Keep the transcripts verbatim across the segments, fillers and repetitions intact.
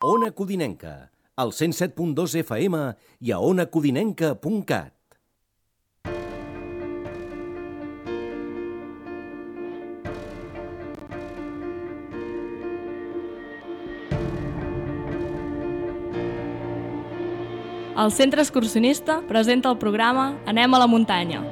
Ona Codinenca, al cent set punt dos F M i a ona codinenca punt cat. El Centre Excursionista presenta el programa Anem a la muntanya.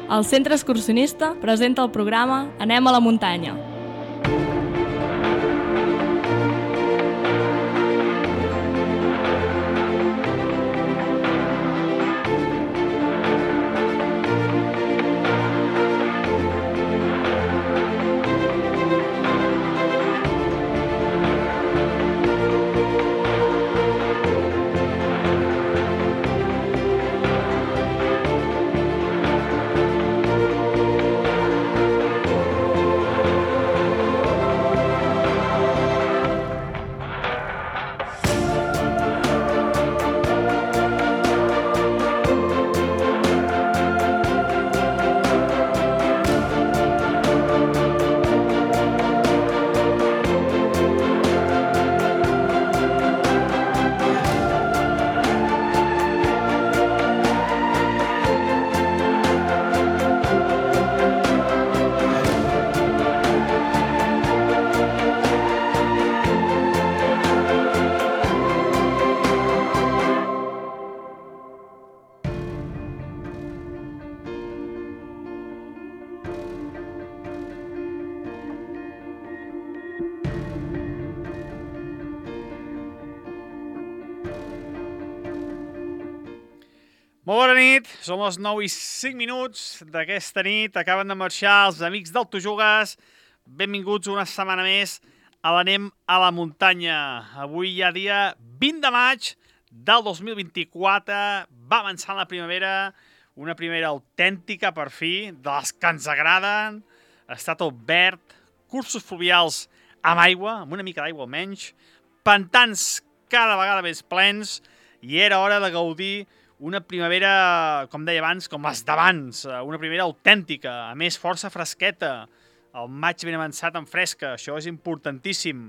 El Centre Excursionista presenta el programa Anem a la muntanya. Molt bona nit, són les nou i cinc minuts d'aquesta nit. Acaben de marxar els amics del Tu Jugues. Benvinguts una setmana més a l'Anem a la Muntanya. Avui hi ha dia vint de maig del dos mil vint-i-quatre. Va avançant la primavera, una primavera autèntica per fi, de les que ens agraden. Està tot verd, cursos fluvials amb aigua, amb una mica d'aigua almenys, pantans cada vegada més plens, i era hora de gaudir una primavera, com deia abans, com les d'abans, una primavera autèntica, a més força fresqueta, el maig ben avançat en fresca, això és importantíssim.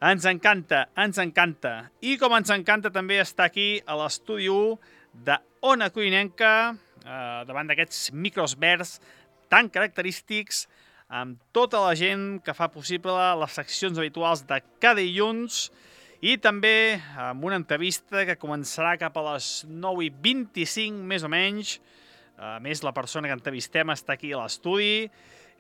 Ens encanta, ens encanta. I com ens encanta també estar aquí a l'estudi u de Ona Codinenca, eh, davant d'aquests micros verds tan característics, amb tota la gent que fa possible les seccions habituals de cada dilluns, i també amb una entrevista que començarà cap a les nou i vint-i-cinc, més o menys. A més, la persona que entrevistem està aquí a l'estudi.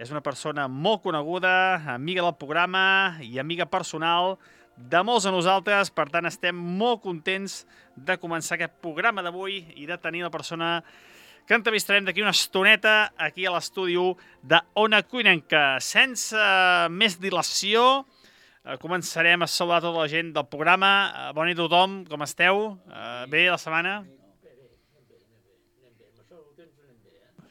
És una persona molt coneguda, amiga del programa i amiga personal de molts de nosaltres. Per tant, estem molt contents de començar aquest programa d'avui i de tenir la persona que entrevistarem d'aquí una estoneta aquí a l'estudi u de Ona Codinenca. Sense més dilació, començarem a saludar tota la gent del programa. Bona nit a tothom, com esteu? Bé la setmana?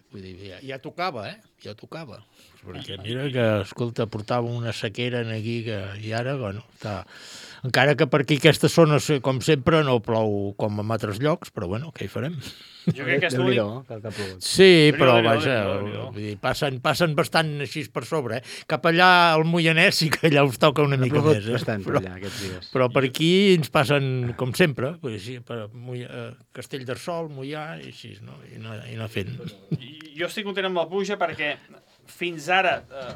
Vull dir, ja, ja tocava, eh? Ja tocava. Perquè mira que, escolta, portava una sequera aquí que, i ara, bueno, està... Encara que per aquí aquesta zona, com sempre, no plou com en altres llocs, però bueno, què hi farem? Jo crec que és l'únic... Sí, però vaja, vull dir, passen, passen bastant així per sobre, eh? Cap allà al Moianès sí que allà us toca una mica més, eh? Bastant per allà, aquests dies. Però per aquí ens passen, com sempre, sí, per Castellterçol, Moià, i així, no? I anar, i anar fent. Jo estic content amb la pluja perquè fins ara eh,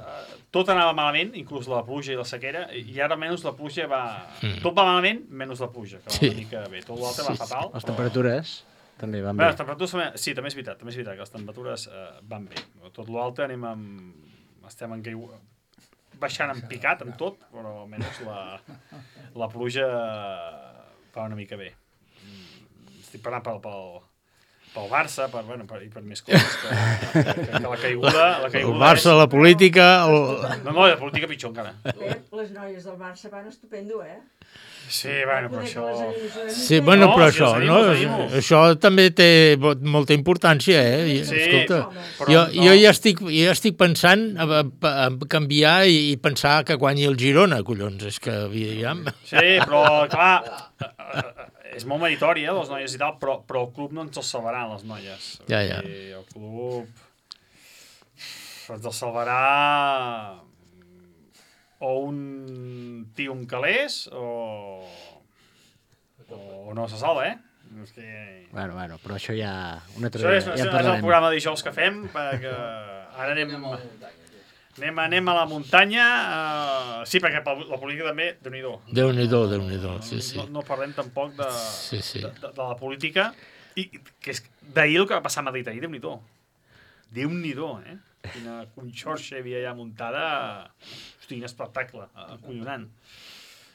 tot anava malament, inclús la pluja i la sequera, i ara menys la pluja va... Mm. Tot va malament, menys la pluja, que va sí. una mica bé. Tot l'altre sí, va fatal. Les temperatures també van bé. Bé, les temperatures també... Sí, també és veritat, també és veritat que les temperatures eh, van bé. Tot l'altre anem amb... Estem en caiu... baixant en picat, amb tot, però almenys la, la pluja va una mica bé. Estic parlant pel... pel pel Barça, per, bueno, per, i per més coses, que, que, que, que la caiguda... La caiguda el Barça, és... la política... El... No, no, la política pitjor encara. Les noies del Barça van estupendo, eh? Sí, bueno, però això... Sí, bueno, no, però si això, no? Això també té molta importància, eh? Sí, escolta, però jo, no. jo ja estic, ja estic pensant a, a, a canviar i, i pensar que guanyi el Girona, collons, és que... Ja... Sí, però, clar... És molt meritori, eh, les noies i tal, però, però el club no ens el salvarà, les noies. Ja, ja. El club ens el salvarà o un tio amb calés o, o no se salva, eh? És que... Bueno, bueno, però això ja... Una altra això és, ja això és el programa de dijous que fem, perquè ara anem... Anem, anem a la muntanya, uh, sí, perquè la política també, Déu-n'hi-do. Déu-n'hi-do, Déu-n'hi-do, sí, sí. No, no parlem tampoc de, sí, sí. de, de, de la política, i que és d'ahir el que va passar a Madrid, ahir, Déu-n'hi-do. Déu-n'hi-do, eh? Quina conxorxa hi havia allà muntada, hosti, quin espectacle, acollonant.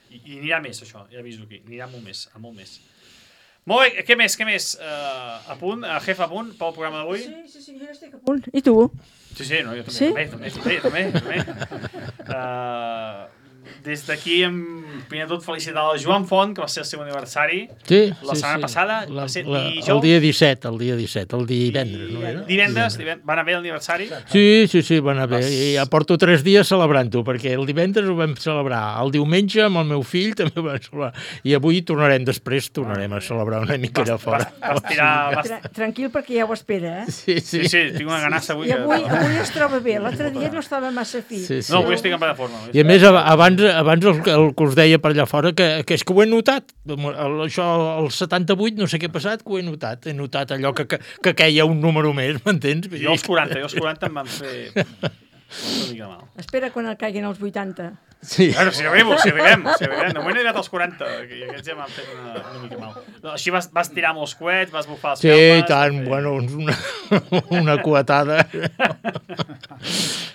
I, I anirà més, això, ja aviso aquí, anirà molt més, a molt més. Molt bé, què més, què més? Uh, a punt, a jefa a punt pel programa d'avui? Sí, sí, sí, jo estic a punt. I tu? Sí, sí, no, jo també, sí? també, també, també, també. Uh, des d'aquí, primer de tot, felicitar el Joan Font, que va ser el seu aniversari. Sí, la sí, setmana sí. passada. La, va ser la, dijous. el dia disset, el dia disset, el divendres, no era? Divendres, divendres. Va anar bé l'aniversari? Sí, sí, sí, va anar bé. I ja porto tres dies celebrant-ho, perquè el divendres ho vam celebrar. El diumenge amb el meu fill també ho vam celebrar. I avui tornarem després, tornarem a celebrar una mica allà fora. Vas, vas tirar, vas... Tra Tranquil, perquè ja ho espera, eh? Sí, sí, sí, sí tinc una ganassa avui. I avui, que... avui es troba bé. L'altre dia no estava massa fi. Sí, sí. No, avui estic en plena forma. I a més, abans, abans el, el que us deia per allà fora, que, que és que ho he notat. El, això, el setanta-vuit, no sé què ha passat, que ho he notat. He notat allò que, que, que queia un número més, m'entens? Jo els quaranta, jo els quaranta em van fer una mica mal. Espera quan el caiguin els vuitanta. Sí. Bueno, si arribo, si arribem, si arribem. De moment he arribat als quaranta, i aquests ja m'han fet una, una mica mal. No, així vas, vas tirar molts coets, vas bufar els Sí, calmes... tant, vas fer- bueno, una, una coetada.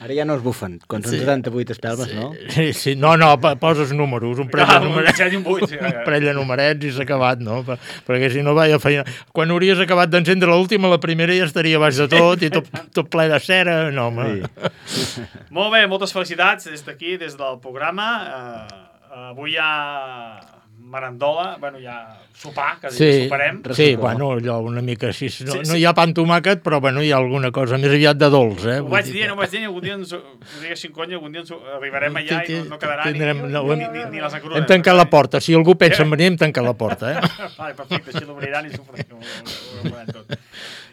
Ara ja no es bufen, quan són Sí. setanta-vuit espelmes, no? Sí, sí, no, no, pa- poses números, un parell Ah, de un numerets, set i un vuit, sí. un parell de numerets i s'ha acabat, no? Per, perquè si no, vaya feina. Quan hauries acabat d'encendre l'última, la primera ja estaria baix de tot i tot, tot ple de cera, no, home. Sí. Molt bé, moltes felicitats des d'aquí, des del programa. Uh, avui hi ha merendola, bueno, hi ha sopar, que Sí, soparem. sí, bueno, allò una mica així. No, no hi ha pa amb tomàquet, però bueno, hi ha alguna cosa més aviat de dolç, eh? Ho Vull vaig dir dir, que- no ho vaig dir, algun dia ens ho ho diguessin conya, algun dia ens ho arribarem allà i no, no quedarà Tindrem- ni, no, ni, hem- ni, ni les engrunes. Hem tancat la porta. Si algú pensa en venir, hem tancat la porta, eh? Vale, perfecte, així l'obriran i s'ho farem, ho, ho, ho farem tot.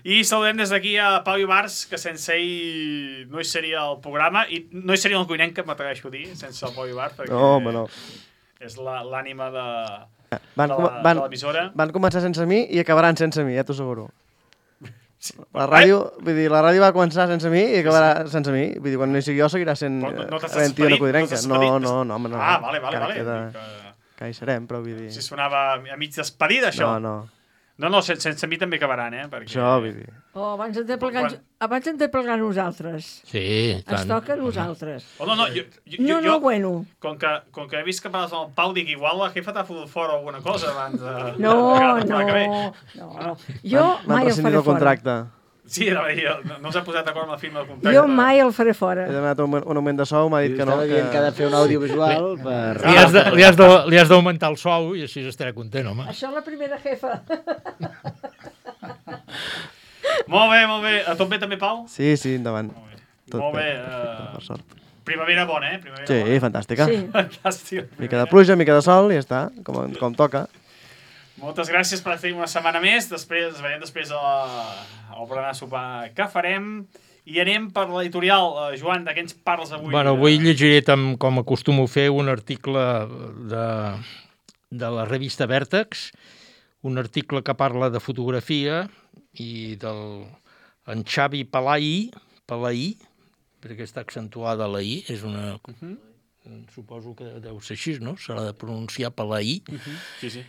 I saludem des d'aquí a Pau Ibars, que sense ell no hi seria el programa, i no hi seria el cuinenc, que m'atreveixo a dir, sense el Pau Ibars, perquè No, home, no. és la- l'ànima de, Van, de com- la- van, de l'emissora. van començar sense mi i acabaran sense mi, ja t'ho asseguro. La ràdio, vull dir, la ràdio va començar sense mi i acabarà sense mi. Vull dir, quan no hi sigui jo seguirà sent No, no, no t'estàs havent-hi una despedint? codrenca. t'estàs No, despedint? no, no, home, no. Ah, vale, vale, Encara vale. queda- Que, Que hi serem, però vull dir... si sonava a mig despedida, això. No, no. No, no, sense, sense mi també acabaran, eh? Perquè... Això, vull dir... Oh, abans hem de plegar, Quan- abans hem de plegar nosaltres. Sí, Ens tant. toca a nosaltres. Oh, no, no, jo, jo, No, jo, no, bueno. com que, com que he vist que parles amb el Pau, dic, igual la jefa t'ha fotut fora alguna cosa abans de... No, de- de- no, de- que ve. no, no. Jo M'han mai el rescindit faré el fora. contracte. Sí, no, no, no s'ha posat d'acord amb la firma de contracte. Jo mai el faré fora. He demanat un, un augment de sou, m'ha dit que no. Estava dient que ha de fer un audiovisual per... Li has de- li has de- li has d'augmentar el sou i així estarà content, home. Això és la primera jefa. Molt bé, molt bé. A tot bé també, Pau? Sí, sí, endavant. Molt bé. Tot molt bé. bé. eh, Per sort. primavera bona, eh? Primavera Sí, bona. fantàstica. Sí. Fantàstic. Mica de pluja, mica de sol i ja està, com, com toca. Moltes gràcies per fer una setmana més. Després, ens veiem després a la, al berenar sopar que farem. I anem per l'editorial. Uh, Joan, de què ens parles avui? Bueno, avui llegiré, tam, com acostumo a fer, un article de, de la revista Vèrtex, un article que parla de fotografia i del en Xavi Palaí, Palaí, perquè està accentuada la I, és una... Uh -huh. Suposo que deu ser així, no? S'ha de pronunciar Palaí. Uh -huh. Sí, sí.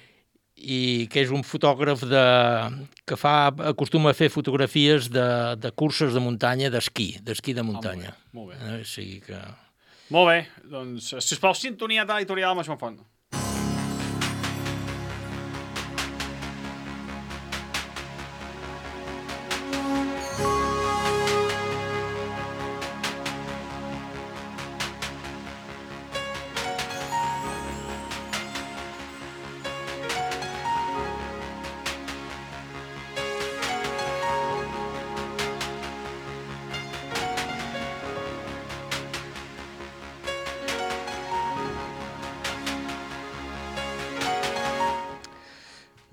I que és un fotògraf de, que fa, acostuma a fer fotografies de, de curses de muntanya, d'esquí, d'esquí de muntanya. Ah, molt bé, molt bé. Eh, o sigui que... Molt bé. Doncs, sisplau, sintonia de l'editorial amb Joan Font.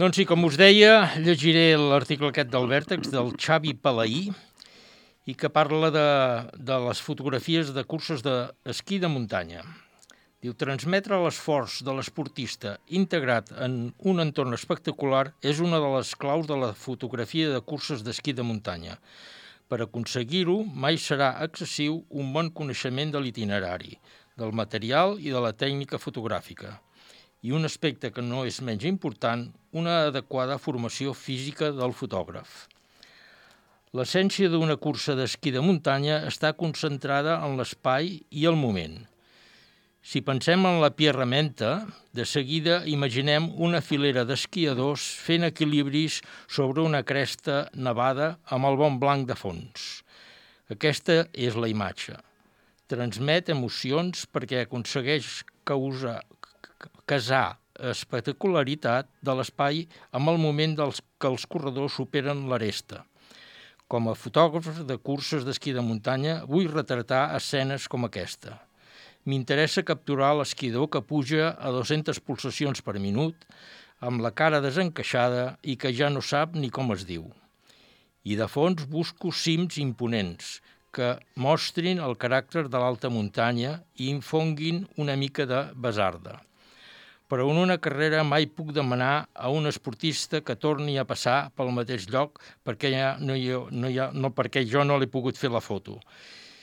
Doncs sí, com us deia, llegiré l'article aquest del Vèrtex, del Xavi Palaí, i que parla de, de les fotografies de curses d'esquí de muntanya. Diu, transmetre l'esforç de l'esportista integrat en un entorn espectacular és una de les claus de la fotografia de curses d'esquí de muntanya. Per aconseguir-ho, mai serà excessiu un bon coneixement de l'itinerari, del material i de la tècnica fotogràfica. I un aspecte que no és menys important, una adequada formació física del fotògraf. L'essència d'una cursa d'esquí de muntanya està concentrada en l'espai i el moment. Si pensem en la pierramenta, de seguida imaginem una filera d'esquiadors fent equilibris sobre una cresta nevada amb el bon blanc de fons. Aquesta és la imatge. Transmet emocions perquè aconsegueix causar, casar espectacularitat de l'espai amb el moment dels que els corredors superen l'aresta. Com a fotògraf de curses d'esquí de muntanya, vull retratar escenes com aquesta. M'interessa capturar l'esquidor que puja a dues-centes pulsacions per minut, amb la cara desencaixada i que ja no sap ni com es diu. I de fons busco cims imponents, que mostrin el caràcter de l'alta muntanya i infonguin una mica de besarda. Però en una carrera mai puc demanar a un esportista que torni a passar pel mateix lloc perquè, ja no, hi ha, no, hi ha, no, perquè jo no l'he pogut fer la foto.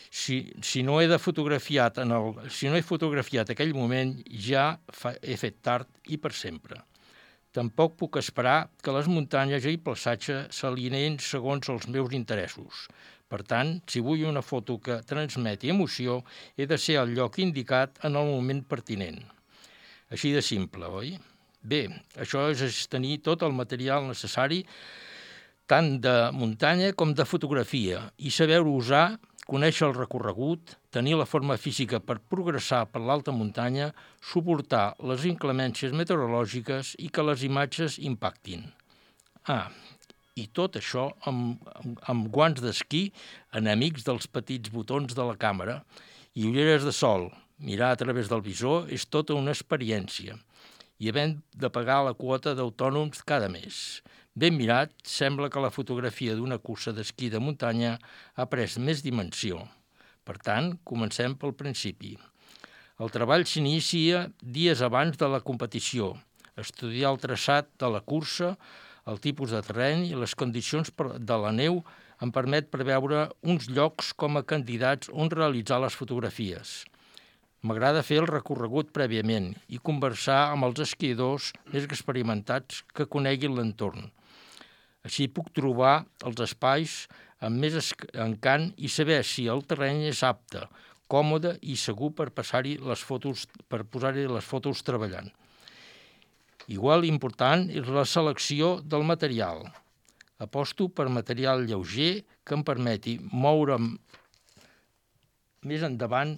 Si, si, no he de fotografiat en el, si no he fotografiat aquell moment, ja fa, he fet tard i per sempre. Tampoc puc esperar que les muntanyes i el paisatge s'alineïn segons els meus interessos. Per tant, si vull una foto que transmeti emoció, he de ser al lloc indicat en el moment pertinent. Així de simple, oi? Bé, això és tenir tot el material necessari tant de muntanya com de fotografia i saber-ho usar, conèixer el recorregut, tenir la forma física per progressar per l'alta muntanya, suportar les inclemències meteorològiques i que les imatges impactin. Ah, i tot això amb, amb guants d'esquí enemics dels petits botons de la càmera i ulleres de sol. Mirar a través del visor és tota una experiència i havent de pagar la quota d'autònoms cada mes. Ben mirat, sembla que la fotografia d'una cursa d'esquí de muntanya ha pres més dimensió. Per tant, comencem pel principi. El treball s'inicia dies abans de la competició, estudiar el traçat de la cursa, el tipus de terreny i les condicions de la neu em permet preveure uns llocs com a candidats on realitzar les fotografies. M'agrada fer el recorregut prèviament i conversar amb els esquiadors més experimentats que coneguin l'entorn. Així puc trobar els espais amb més encant i saber si el terreny és apte, còmode i segur per passar-hi les fotos, per posar-hi les fotos treballant. Igual important és la selecció del material. Aposto per material lleuger que em permeti moure'm més endavant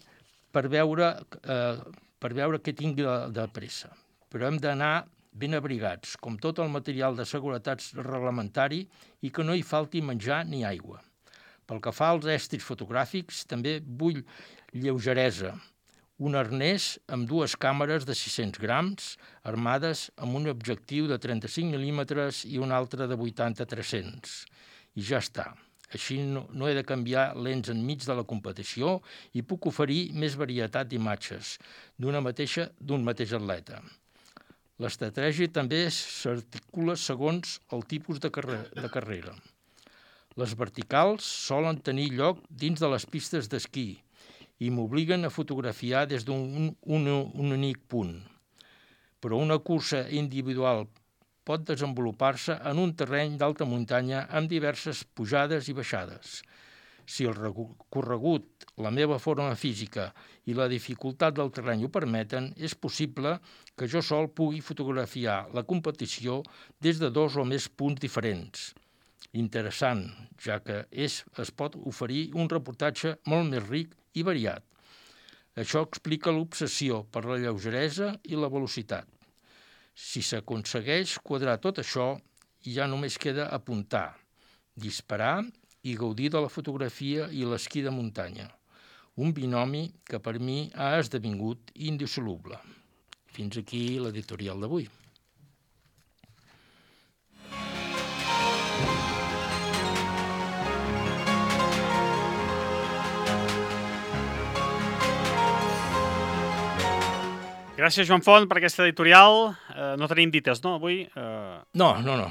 per veure, eh, per veure què tinc de, de pressa. Però hem d'anar ben abrigats, com tot el material de seguretat reglamentari i que no hi falti menjar ni aigua. Pel que fa als estris fotogràfics, també vull lleugeresa, un arnès amb dues càmeres de sis-cents grams, armades amb un objectiu de trenta-cinc mil·límetres i un altre de vuitanta a tres-cents. I ja està. Així no, no he de canviar lents enmig de la competició i puc oferir més varietat d'imatges d'una mateixa, d'un mateix atleta. L'estratègia també s'articula segons el tipus de, carre de carrera. Les verticals solen tenir lloc dins de les pistes d'esquí i m'obliguen a fotografiar des d'un un, un únic punt. Però una cursa individual pot desenvolupar-se en un terreny d'alta muntanya amb diverses pujades i baixades. Si el recorregut, la meva forma física i la dificultat del terreny ho permeten, és possible que jo sol pugui fotografiar la competició des de dos o més punts diferents. Interessant, ja que és, es pot oferir un reportatge molt més ric i variat. Això explica l'obsessió per la lleugeresa i la velocitat. Si s'aconsegueix quadrar tot això, ja només queda apuntar, disparar i gaudir de la fotografia i l'esquí de muntanya. Un binomi que per mi ha esdevingut indissoluble. Fins aquí l'editorial d'avui. Gràcies, Joan Font, per aquesta editorial. Eh, no tenim dites, no, avui? Eh... No, no, no.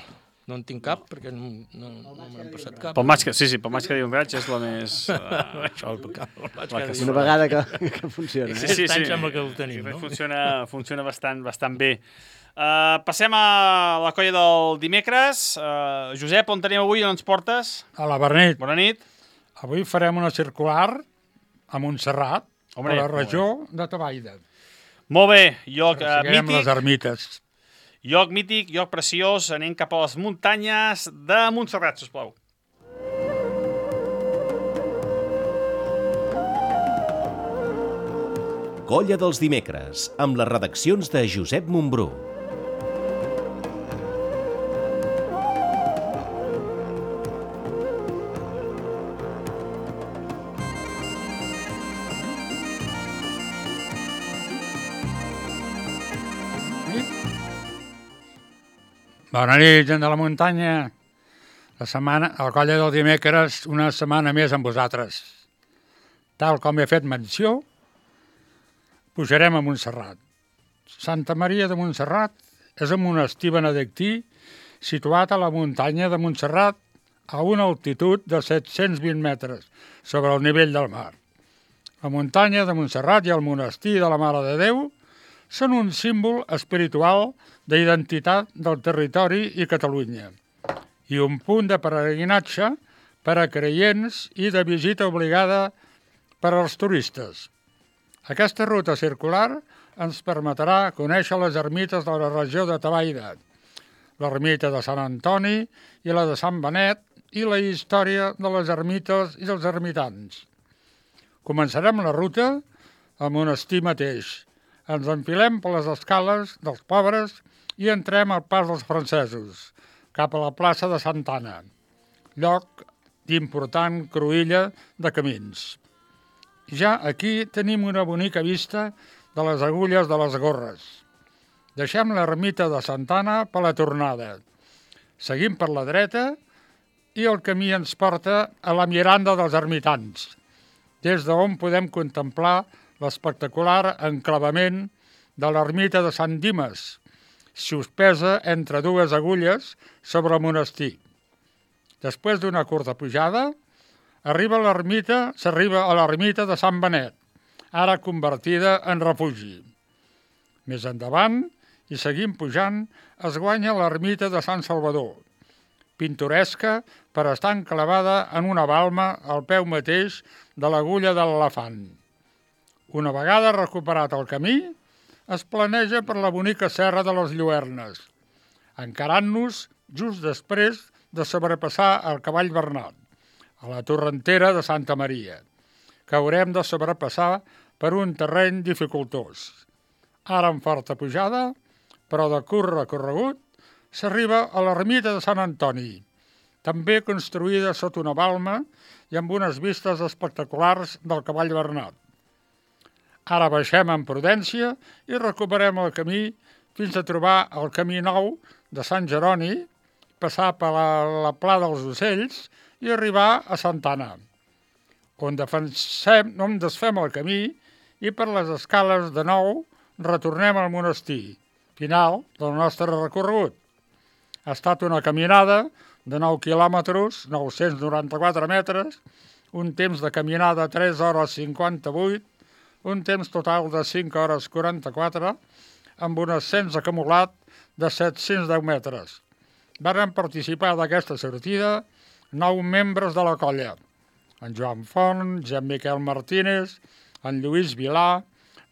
No en tinc cap, perquè no, no, no m'han passat cap. Pel maig que, sí, sí, pel maig que diu un gaig és la més... Uh, Això, el, el maig la que que diu. Una vegada que, que funciona. Sí, sí, Aquest any sí. sembla que ho tenim, no? Funciona, funciona bastant, bastant bé. Uh, passem a la colla del dimecres. Uh, Josep, on tenim avui? On ens portes? A la Bernit. Bona nit. Avui farem una circular a Montserrat, Hombre, a la regió de Tabaida. Molt bé, lloc uh, Seguirem les mític. ermites. Lloc mític, lloc preciós. Anem cap a les muntanyes de Montserrat, sisplau. Colla dels dimecres, amb les redaccions de Josep Montbrú. Bona nit, gent de la muntanya. La setmana, a la colla del dimecres, una setmana més amb vosaltres. Tal com he fet menció, pujarem a Montserrat. Santa Maria de Montserrat és un monestir benedictí situat a la muntanya de Montserrat a una altitud de set-cents vint metres sobre el nivell del mar. La muntanya de Montserrat i el monestir de la Mare de Déu són un símbol espiritual d'identitat del territori i Catalunya i un punt de peregrinatge per a creients i de visita obligada per als turistes. Aquesta ruta circular ens permetrà conèixer les ermites de la regió de Tavaida, l'ermita de Sant Antoni i la de Sant Benet i la història de les ermites i dels ermitans. Començarem la ruta al monestir mateix. Ens enfilem per les escales dels pobres i entrem al pas dels francesos, cap a la plaça de Santa Anna, lloc d'important cruïlla de camins. Ja aquí tenim una bonica vista de les agulles de les gorres. Deixem l'ermita de Santa Anna per la tornada. Seguim per la dreta i el camí ens porta a la Miranda dels Ermitans, des d'on podem contemplar l'espectacular enclavament de l'ermita de Sant Dimes, suspesa entre dues agulles sobre el monestir. Després d'una curta pujada, arriba a l'ermita, s'arriba a l'ermita de Sant Benet, ara convertida en refugi. Més endavant, i seguim pujant, es guanya l'ermita de Sant Salvador, pintoresca per estar enclavada en una balma al peu mateix de l'agulla de l'elefant. Una vegada recuperat el camí, es planeja per la bonica serra de les Lluernes, encarant-nos just després de sobrepassar el Cavall Bernat, a la torrentera de Santa Maria, que haurem de sobrepassar per un terreny dificultós. Ara en forta pujada, però de curt recorregut, s'arriba a l'ermita de Sant Antoni, també construïda sota una balma i amb unes vistes espectaculars del Cavall Bernat. Ara baixem en prudència i recuperem el camí fins a trobar el camí nou de Sant Jeroni, passar per la, la Pla dels Ocells i arribar a Santa Anna, on, defensem, on desfem el camí i per les escales de nou retornem al monestir, final del nostre recorregut. Ha estat una caminada de nou quilòmetres, nou-cents noranta-quatre metres, un temps de caminada de tres hores cinquanta-vuit, un temps total de cinc hores quaranta-quatre, amb un ascens acumulat de set-cents deu metres. Varen participar d'aquesta sortida nou membres de la colla: en Joan Font, Jean Miquel Martínez, en Lluís Vilà,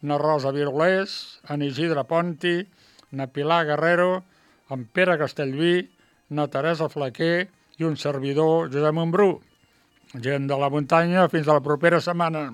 na Rosa Virolés, en Isidre Ponti, na Pilar Guerrero, en Pere Castellví, na Teresa Flaquer i un servidor, Josep Montbrú. Gent de la muntanya, fins a la propera setmana.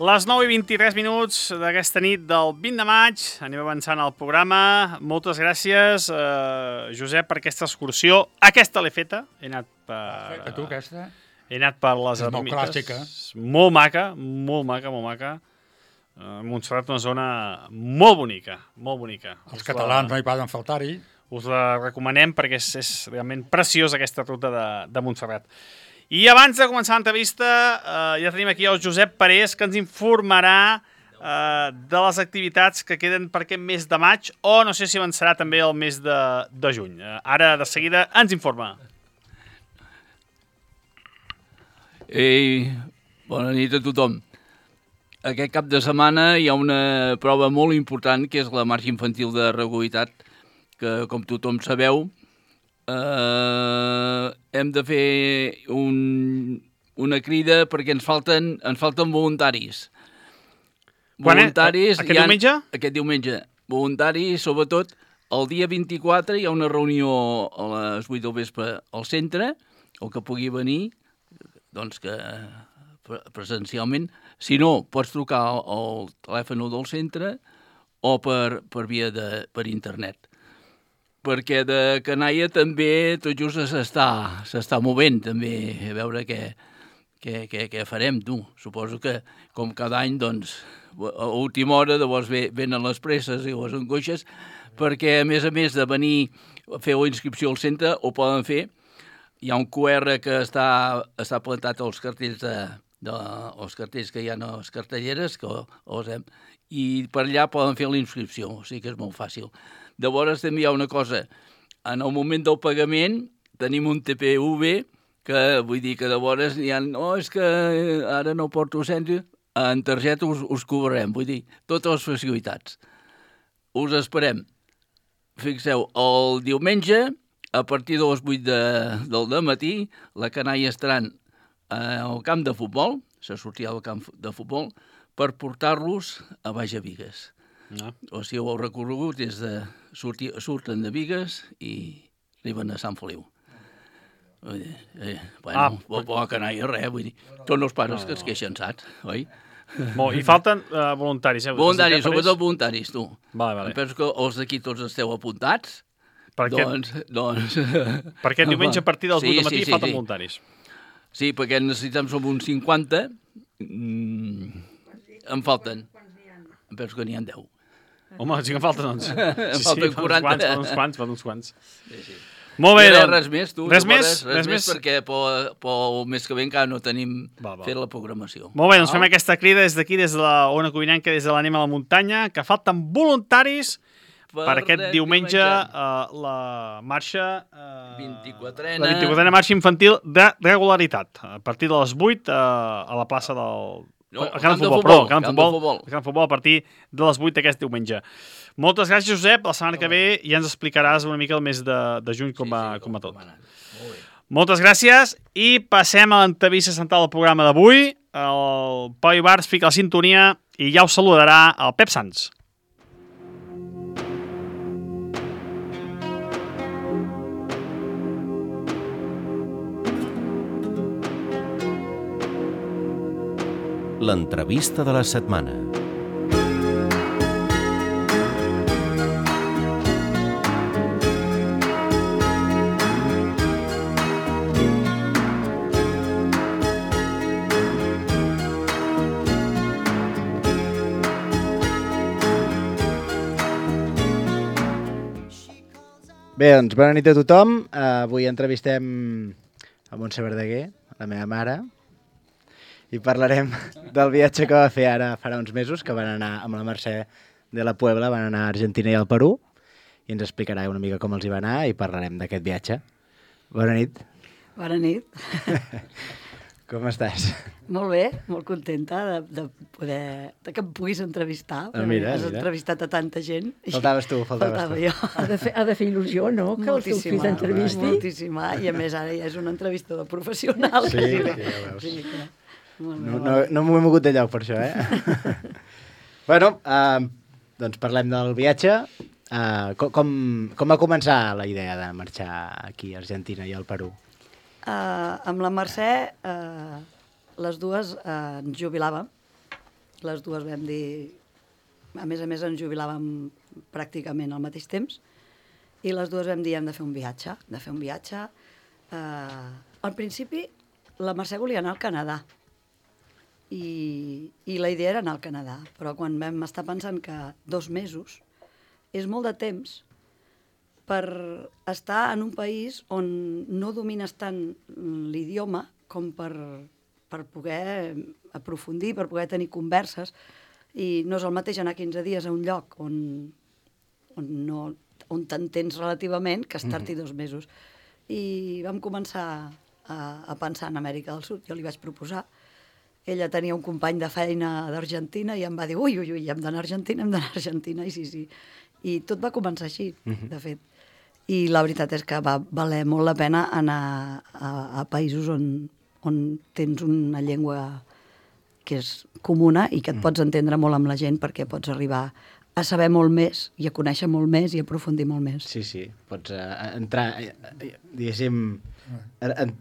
Les nou i vint-i-tres minuts d'aquesta nit del vint de maig. Anem avançant al programa. Moltes gràcies, eh, Josep, per aquesta excursió. Aquesta l'he feta. He anat per... A tu, aquesta? He anat per les És molt ermites. clàssica. Molt maca, molt maca, molt maca. Eh, Montserrat, una zona molt bonica, molt bonica. Els Us catalans la, no hi poden faltar-hi. us la recomanem perquè és, és realment preciosa aquesta ruta de, de Montserrat. I abans de començar l'entrevista, eh, ja tenim aquí el Josep Parés, que ens informarà eh, de les activitats que queden per aquest mes de maig, o no sé si avançarà també el mes de, de juny. Eh, ara, de seguida, ens informa. Ei, bona nit a tothom. Aquest cap de setmana hi ha una prova molt important, que és la marxa infantil de regularitat, que, com tothom sabeu, eh, hem de fer un, una crida perquè ens falten, ens falten voluntaris. Quan, voluntaris eh? Aquest ha, diumenge? Aquest diumenge. Voluntaris, sobretot, el dia vint-i-quatre hi ha una reunió a les vuit del vespre al centre, el que pugui venir, doncs que presencialment. Si no, pots trucar al, al telèfon del centre o per, per via de, per internet. Perquè de canalla també tot just s'està s'està movent, també, a veure què, què, què, què farem, tu. Suposo que, com cada any, doncs, a última hora, llavors venen les presses i les angoixes, perquè, a més a més de venir a fer la inscripció al centre, ho poden fer. Hi ha un Q R que està, està plantat als cartells de, dels cartells que hi ha a les cartelleres, que els hem... I per allà poden fer la inscripció, o sigui que és molt fàcil. Llavors també hi ha una cosa, en el moment del pagament tenim un T P V, que vull dir que llavors hi ha... No, és que ara no porto cens, en targeta us, us cobrarem, vull dir, totes les facilitats. Us esperem. Fixeu, el diumenge, a partir de les vuit de, del dematí, la canalla estaran al camp de futbol, se sortirà al camp de futbol, per portar-los a Baix a Bigues. No. O sigui, el recorregut és de... Surti, surten de Bigues i arriben a Sant Feliu. Vull dir, eh, bueno, ah, bo, bo canalla, res, vull dir, són els pares no, que es queixen, saps, oi? Molt, I falten uh, voluntaris, eh? Voluntaris, sobretot voluntaris, tu. Vale, vale. Em penso que els d'aquí tots esteu apuntats. Per doncs, doncs... Per aquest diumenge a partir dels sí, vuit del matí sí, sí, falten sí. voluntaris. Sí, perquè necessitem som uns cinquanta. Mm, em falten. Em penso que n'hi ha deu. Home, sí que em falten, doncs. Em Sí, falten sí, quaranta. Fa uns quants, fa uns quants. Sí, sí. Molt bé, no, doncs. Res més, tu. Res més? Res, res més, perquè pel, pel mes que ve encara no tenim va, va. fet la programació. Molt bé, doncs fem aquesta crida des d'aquí, des de la Ona Codinenca, des de l'Anem a la Muntanya, que falten voluntaris per, per aquest diumenge, uh, la marxa... Uh, vint-i-quatrena. La vint-i-quatrena marxa infantil de regularitat. A partir de les vuit uh, a la plaça del... No, el camp de futbol, perdó, el camp de futbol, el camp de futbol a partir de les vuit d'aquest diumenge. Moltes gràcies, Josep. La setmana que ve ja ens explicaràs una mica el mes de, de juny com, sí, va, sí, com va tot. Molt Moltes gràcies i passem a l'entrevista central del programa d'avui. El Pau Ibars fica la sintonia i ja us saludarà el Pep Sans. L'entrevista de la setmana. Bé, doncs, bona nit a tothom. Uh, avui entrevistem a Montse Verdaguer, la meva mare, i parlarem del viatge que va fer ara farà uns mesos, que van anar amb la Mercè de la Puebla, van anar a Argentina i al Perú, i ens explicarà una mica com els hi va anar i parlarem d'aquest viatge. Bona nit. Bona nit. Com estàs? Molt bé, molt contenta de, de poder... de que em puguis entrevistar. Ah, mira, has mira. entrevistat a tanta gent. Faltaves tu, faltaves Faltava tu. Jo. Ha de, fer, ha de fer il·lusió, no?, que el teu fill t'entrevisti. Moltíssima, i a més ara ja és una entrevista de professional. Sí, sí, ja veus. Sí, que... No, no, no m'ho he mogut de lloc per això, eh? Bueno, uh, doncs parlem del viatge. Uh, com, com va començar la idea de marxar aquí a Argentina i al Perú? Uh, amb la Mercè, uh, les dues uh, ens jubilàvem. Les dues vam dir... A més a més, ens jubilàvem pràcticament al mateix temps. I les dues vam dir, hem de fer un viatge. De fer un viatge. Uh, al principi, la Mercè volia anar al Canadà. I, i la idea era anar al Canadà. Però quan vam estar pensant que dos mesos és molt de temps per estar en un país on no domines tant l'idioma com per, per poder aprofundir, per poder tenir converses. I no és el mateix anar quinze dies a un lloc on, on, no, on t'entens relativament que estar-hi dos mesos. I vam començar a, a pensar en Amèrica del Sud. Jo li vaig proposar. Ella tenia un company de feina d'Argentina i em va dir, ui, ui, ui, hem d'anar a Argentina, hem d'anar a Argentina. I sí, sí. I tot va començar així, de fet. I la veritat és que va valer molt la pena anar a, a països on, on tens una llengua que és comuna i que et pots entendre molt amb la gent perquè pots arribar a saber molt més i a conèixer molt més i a aprofundir molt més. Sí, sí, pots uh, entrar, uh, diguéssim, uh, uh,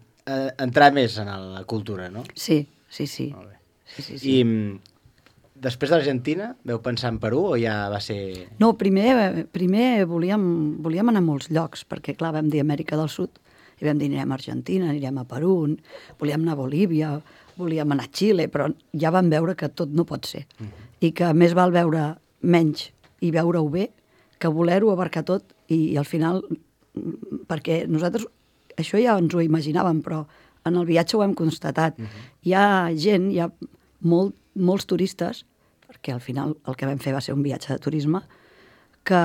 entrar més en la cultura, no? Sí, sí, sí. Molt bé. sí, sí, sí. I després d'Argentina, veu pensar en Perú o ja va ser... No, primer, primer volíem, volíem anar a molts llocs, perquè clar, vam dir Amèrica del Sud, i vam dir anirem a Argentina, anirem a Perú, volíem anar a Bolívia, volíem anar a Xile, però ja vam veure que tot no pot ser. Mm. I que més val veure menys i veure-ho bé que voler-ho abarcar tot i, i al final, perquè nosaltres això ja ens ho imaginàvem, però en el viatge ho hem constatat. Uh-huh. Hi ha gent, hi ha molt, molts turistes, perquè al final el que vam fer va ser un viatge de turisme, que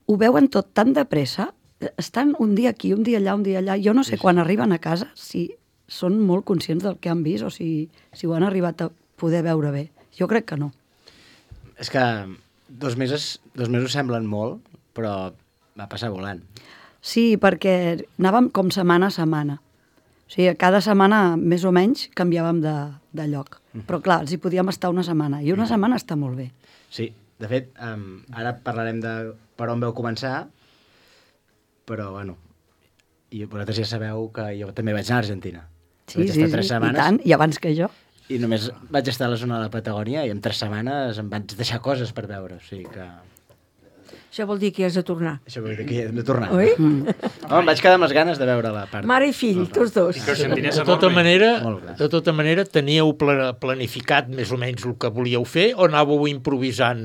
ho veuen tot tan de pressa, estan un dia aquí, un dia allà, un dia allà, jo no sé quan arriben a casa si són molt conscients del que han vist o si, si ho han arribat a poder veure bé. Jo crec que no. És que dos mesos, dos mesos semblen molt, però va passar volant. Sí, perquè anàvem com setmana a setmana. O sigui, cada setmana, més o menys, canviàvem de, de lloc. Mm. Però clar, els hi podíem estar una setmana. I una mm. setmana està molt bé. Sí, de fet, um, ara parlarem de per on vau començar, però, bueno, i vosaltres ja sabeu que jo també vaig anar a Argentina. Sí, sí, sí, setmanes, i tant, i abans que jo. I només vaig estar a la zona de la Patagònia i en tres setmanes em vaig deixar coses per veure, o sigui que... Això vol dir que hi has de tornar. Això vol dir que hi hem de tornar. Oi? Mm. Oh, em vaig quedar amb les ganes de veure la part. Mare i fill, tots dos. I que de tota manera, de tota manera, teníeu planificat més o menys el que volíeu fer o anàveu improvisant?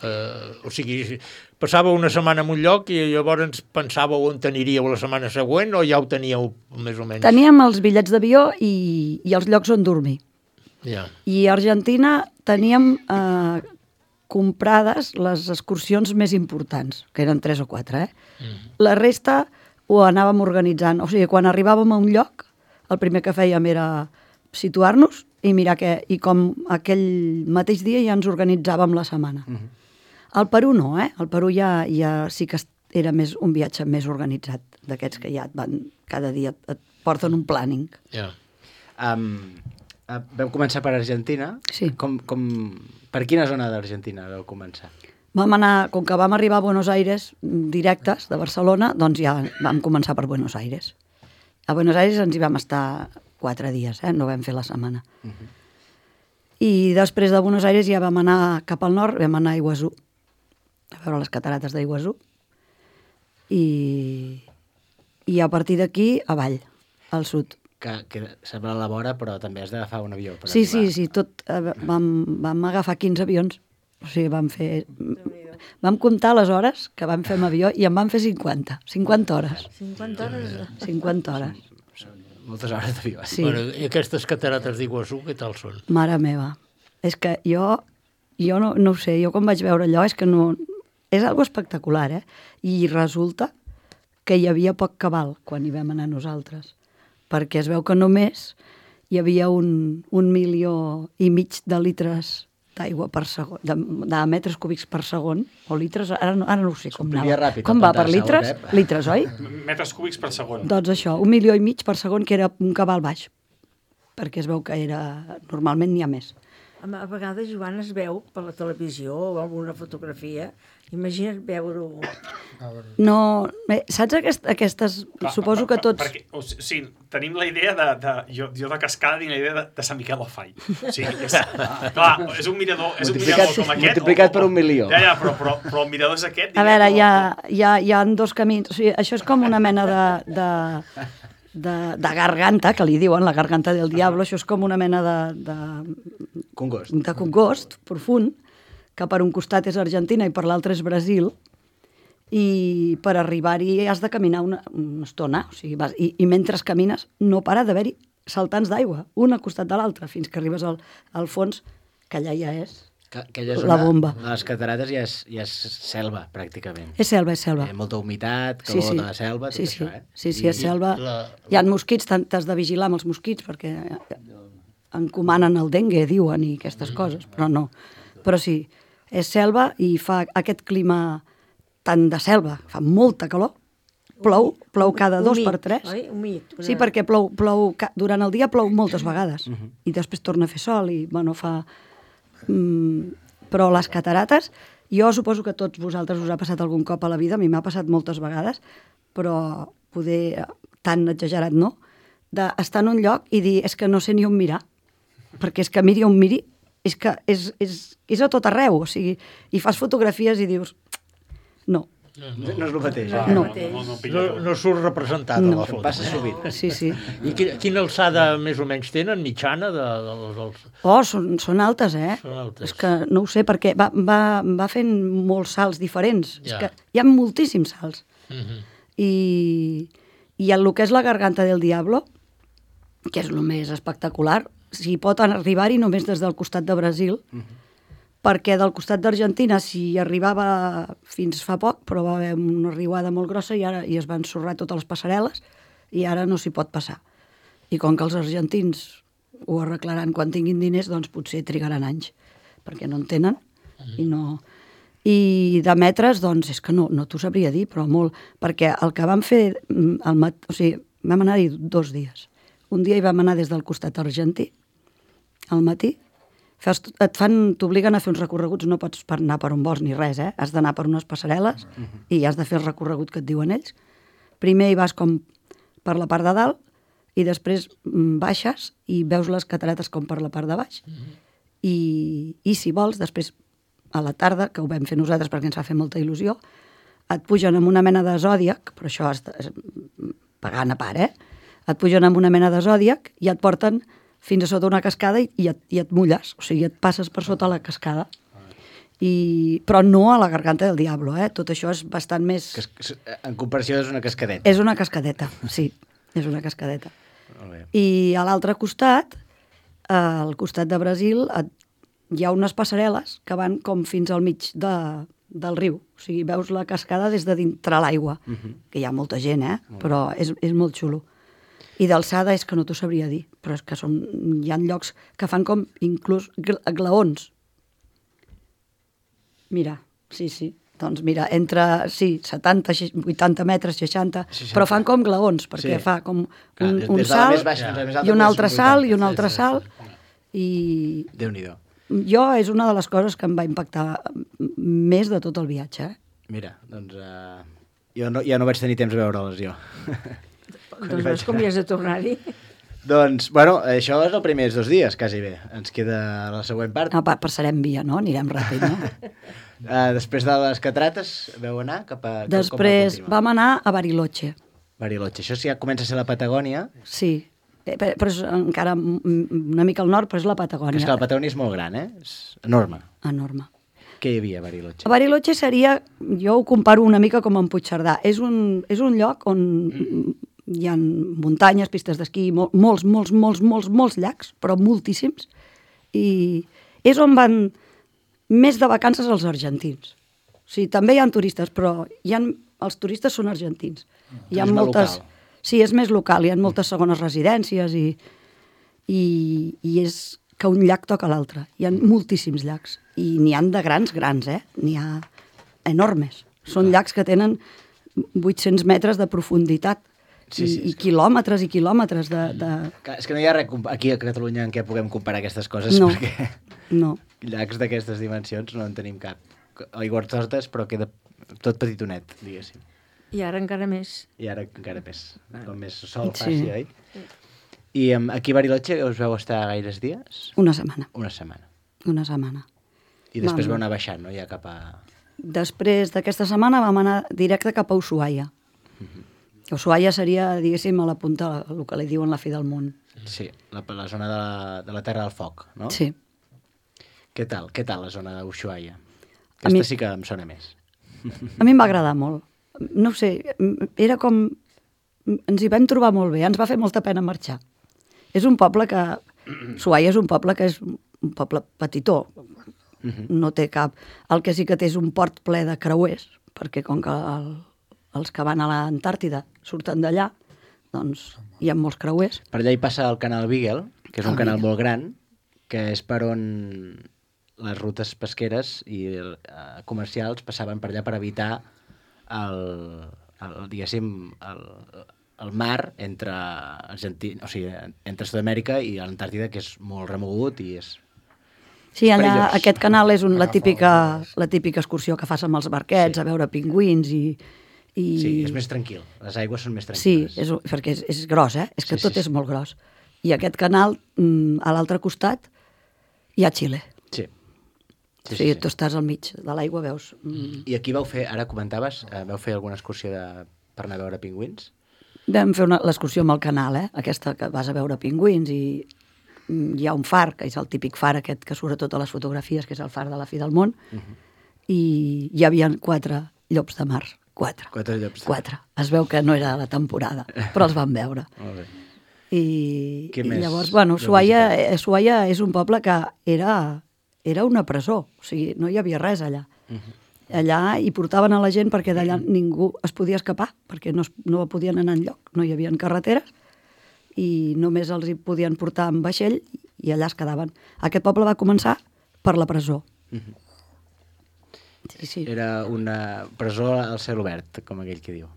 Eh, o sigui, passàveu una setmana en un lloc i llavors pensàveu on aniríeu la setmana següent o ja ho teníeu més o menys? Teníem els bitllets d'avió i, i els llocs on dormir. Yeah. I a Argentina teníem eh, comprades les excursions més importants, que eren tres o quatre, eh? Mm. La resta ho anàvem organitzant. O sigui, quan arribàvem a un lloc, el primer que fèiem era situar-nos i mirar què... I com aquell mateix dia ja ens organitzàvem la setmana. Mm -hmm. Al Perú no, eh? Al Perú ja, ja sí que era més un viatge més organitzat, d'aquests que ja et van... Cada dia et porten un planning. Yeah. Um, uh, vam començar per Argentina. Sí. Com... com... Per quina zona d'Argentina vau començar? Vam anar, com que vam arribar a Buenos Aires directes de Barcelona, doncs ja vam començar per Buenos Aires. A Buenos Aires ens hi vam estar quatre dies, eh? No vam fer la setmana. Uh-huh. I després de Buenos Aires ja vam anar cap al nord, vam anar a Iguazú, a veure les catarates d'Iguazú, i, i a partir d'aquí avall, al sud. Que, que sembla a la vora, però també has d'agafar un avió. Per sí, arribar. sí, sí, tot, eh, vam, vam agafar quinze avions. O sigui, vam fer... Vam comptar les hores que vam fer amb avió i en vam fer cinquanta. cinquanta hores. cinquanta hores? cinquanta hores. Moltes hores d'avió. Sí. Bueno, I aquestes catarates d'Iguazú, què tal són? Mare meva. És que jo, jo no, no ho sé, jo quan vaig veure allò és que no... És algo espectacular, eh? I resulta que hi havia poc cabal quan hi vam anar nosaltres. Perquè es veu que només hi havia un, un milió i mig de litres d'aigua per segon, de, de metres cúbics per segon, o litres, ara no, ara no ho sé com anava. Ràpid, com va, per litres? Litres, oi? Metres cúbics per segon. Doncs això, un milió i mig per segon, que era un cabal baix, perquè es veu que era... Normalment n'hi ha més. A vegades, Joan, es veu per la televisió o alguna fotografia. Imagina't veure-ho... No, bé, saps aquest, aquestes... Clar, suposo per, que tots... Perquè, o sigui, tenim la idea de... de jo, jo de cascada tinc la idea de, de Sant Miquel del Fai. O sigui, és, clar, és un mirador, és un mirador com aquest... Multiplicat per un milió. Ja, ja, però, però, però el mirador és aquest... A veure, hi ha, hi, ha, hi ha dos camins. O sigui, això és com una mena de... de De, de garganta, que li diuen, la garganta del diablo, això és com una mena de... de congost. De congost, profund, que per un costat és Argentina i per l'altre és Brasil, i per arribar-hi has de caminar una, una estona, o sigui, vas, i, i mentre camines no para d'haver-hi saltants d'aigua, un al costat de l'altre, fins que arribes al, al fons, que allà ja és que, que allà és la bomba. A les catarates ja és, ja és selva, pràcticament. És selva, és selva. Hi ha molta humitat, calor sí, sí. de la selva, tot sí, sí. això, eh? Sí, sí, és selva. La... Hi ha mosquits, t'has de vigilar amb els mosquits, perquè encomanen el dengue, diuen, i aquestes coses, però no. Però sí, és selva i fa aquest clima tant de selva, fa molta calor, plou, plou cada dos per tres. Oi? Humit. Sí, perquè plou, plou, durant el dia plou moltes vegades, uh-huh. i després torna a fer sol i, bueno, fa... Mm, però les catarates, jo suposo que a tots vosaltres us ha passat algun cop a la vida, a mi m'ha passat moltes vegades, però poder, tan exagerat no, d'estar en un lloc i dir, és que no sé ni on mirar, perquè és que miri on miri, és que és, és, és a tot arreu, o sigui, i fas fotografies i dius, no. No, no és el mateix. Ah, no. No, no, no, no surt representat no. a la foto. Passa sovint. Sí, sí. I quina, quina alçada més o menys tenen, mitjana? De, de, de, dels... Oh, són, són altes, eh? Són altes. És que no ho sé, perquè va, va, va fent molts salts diferents. Ja. És que hi ha moltíssims salts. Uh-huh. I, I el que és la Garganta del Diablo, que és el més espectacular, s'hi pot arribar-hi només des del costat de Brasil, perquè del costat d'Argentina s'hi arribava fins fa poc, però va haver una riuada molt grossa i ara i es van ensorrar totes les passarel·les i ara no s'hi pot passar. I com que els argentins ho arreglaran quan tinguin diners, doncs potser trigaran anys, perquè no en tenen i no... I de metres, doncs, és que no, no t'ho sabria dir, però molt, perquè el que vam fer, el mat... o sigui, vam anar-hi dos dies. Un dia hi vam anar des del costat argentí, al matí, Fes, et fan, t'obliguen a fer uns recorreguts, no pots per anar per on vols ni res, eh? Has d'anar per unes passarel·les i has de fer el recorregut que et diuen ells. Primer hi vas com per la part de dalt i després baixes i veus les catarates com per la part de baix. I, i si vols, després a la tarda, que ho vam fer nosaltres perquè ens va fer molta il·lusió, et pugen amb una mena de zòdiac, però això és, és pagant a part, eh? Et pugen amb una mena de zòdiac i et porten fins a sota una cascada i, i, et, i et mulles, o sigui, et passes per sota la cascada. I, però no a la Garganta del Diablo, eh? Tot això és bastant més... Que, en comparació és una cascadeta. És una cascadeta, sí, és una cascadeta. Molt bé. I a l'altre costat, al costat de Brasil, et, hi ha unes passarel·les que van com fins al mig de, del riu. O sigui, veus la cascada des de dintre l'aigua, uh -huh. que hi ha molta gent, eh? Però és, és molt xulo. I d'alçada és que no t'ho sabria dir, però és que són, hi ha llocs que fan com inclús glaons. Mira, sí, sí. Doncs mira, entre, sí, setanta, vuitanta metres, seixanta, seixanta. Però fan com glaons, perquè sí. Fa com un, Clar, un salt baixa, ja. I un altre salt, i un altre salt. I... Déu-n'hi-do. Jo és una de les coses que em va impactar més de tot el viatge. Eh? Mira, doncs uh, jo no, ja no vaig tenir temps de veure-les jo. Doncs veus com hi has de tornar-hi. Doncs, bueno, això és els primers dos dies, quasi bé. Ens queda la següent part. No, passarem via, no? Anirem ràpid, no? uh, després de les catarates, veu anar cap a... Després vam anar a Bariloche. Bariloche, això sí ja comença a ser la Patagònia. Sí, però és encara una mica al nord, però és la Patagònia. Que és que la Patagònia és molt gran, eh? És enorme. Enorme. Què hi havia a Bariloche? A Bariloche seria, jo ho comparo una mica com en Puigcerdà. És un, és un lloc on hi ha muntanyes, pistes d'esquí, mol, molts, molts, molts, molts, molts llacs, però moltíssims. I és on van més de vacances els argentins. O sigui, també hi ha turistes, però hi ha, els turistes són argentins. Hi ha moltes... Local. Sí, és més local, hi ha moltes segones residències i, i, i és que un llac toca l'altre. Hi ha moltíssims llacs i n'hi ha de grans, grans, eh? N'hi ha enormes. Són llacs que tenen vuit-cents metres de profunditat sí, sí, i, i quilòmetres i quilòmetres de, de... És que no hi ha res aquí a Catalunya en què puguem comparar aquestes coses, no, perquè no. Llacs d'aquestes dimensions no en tenim cap. Aigües tortes, però queda tot petitonet, diguéssim. I ara encara més. I ara encara més. Com més sol faci, sí. Oi? I um, aquí a Bariloche us veu estar gaires dies? Una setmana. Una setmana. Una setmana. I després vam anar baixant, no? Ja cap a... Després d'aquesta setmana vam anar directe cap a Ushuaia. Uh-huh. Ushuaia seria, diguéssim, a la punta, el que li diuen la fi del món. Sí, la, la zona de la, de la Terra del Foc, no? Sí. Què tal? Què tal la zona d'Ushuaia? Aquesta mi... sí que em sona més. A mi em va agradar molt. No ho sé, era com... Ens hi vam trobar molt bé, ens va fer molta pena marxar. És un poble que... Ushuaia és un poble que és un poble petitó. Uh-huh. No té cap... El que sí que té és un port ple de creuers, perquè com que el, els que van a l'Antàrtida surten d'allà, doncs hi ha molts creuers. Per allà hi passa el canal Beagle, que és un el canal Beagle. Molt gran, que és per on les rutes pesqueres i uh, comercials passaven per allà per evitar el, el diguéssim, el, el mar entre Argentina, o sigui, entre Sud-amèrica i l'Antàrtida, que és molt remogut i és... Sí, allà perillós. Aquest canal és un, la, típica, la típica excursió que fas amb els barquets, sí. A veure pingüins i, i... Sí, és més tranquil, les aigües són més tranquil·les. Sí, és, perquè és, és gros, eh? És que sí, tot sí, és molt gros. I aquest canal, a l'altre costat, hi ha Xile. Sí. Sí, o sigui, sí, tu estàs al mig de l'aigua, veus... Mm. I aquí vau fer, ara comentaves, eh, vau fer alguna excursió de, per anar a veure pingüins? Vam fer l'excursió amb el canal, eh? Aquesta que vas a veure pingüins i hi ha un far, que és el típic far aquest que surt a totes les fotografies, que és el far de la fi del món, uh-huh. I hi havia quatre llops de mar, Quatre. Quatre llops. Quatre. Es veu que no era la temporada, però els vam veure. Molt bé. I, Què i més llavors, bueno, vau Ushuaia, visitar? eh, Ushuaia és un poble que era, era una presó, o sigui, no hi havia res allà. Allà hi portaven a la gent perquè d'allà ningú es podia escapar, perquè no, es, no podien anar enlloc, no hi havia carreteres, i només els hi podien portar amb vaixell i allà es quedaven. Aquest poble va començar per la presó. Sí, sí. Era una presó al cel obert, com aquell que diu.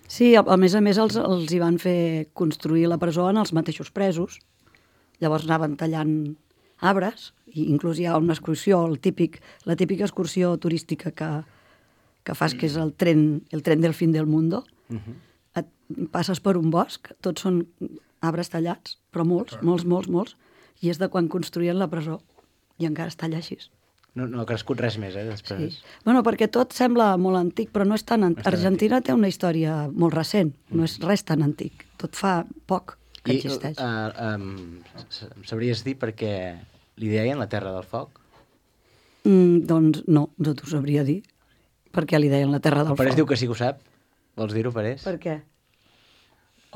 Sí, a, a més a més els, els hi van fer construir la presó en els mateixos presos. Llavors anaven tallant arbres, i inclús hi ha una excursió, el típic, la típica excursió turística que, que fas, que és el tren, el tren del fin del mundo. Et passes per un bosc, tots són arbres tallats, però molts, molts, molts, molts, i és de quan construïen la presó, i encara està allà així. No, no ha crescut res més, eh, després. Sí. Bueno, perquè tot sembla molt antic, però no és tan antic. No és tan Argentina té una història molt recent, no és res tan antic. Tot fa poc que I, existeix. uh, um, em sabries dir per què li deien la Terra del Foc? Mm, doncs no, no t'ho sabria dir. Per què li deien la Terra del El Parés Foc? diu que sí que ho sap. Vols dir-ho, Parés? Per què?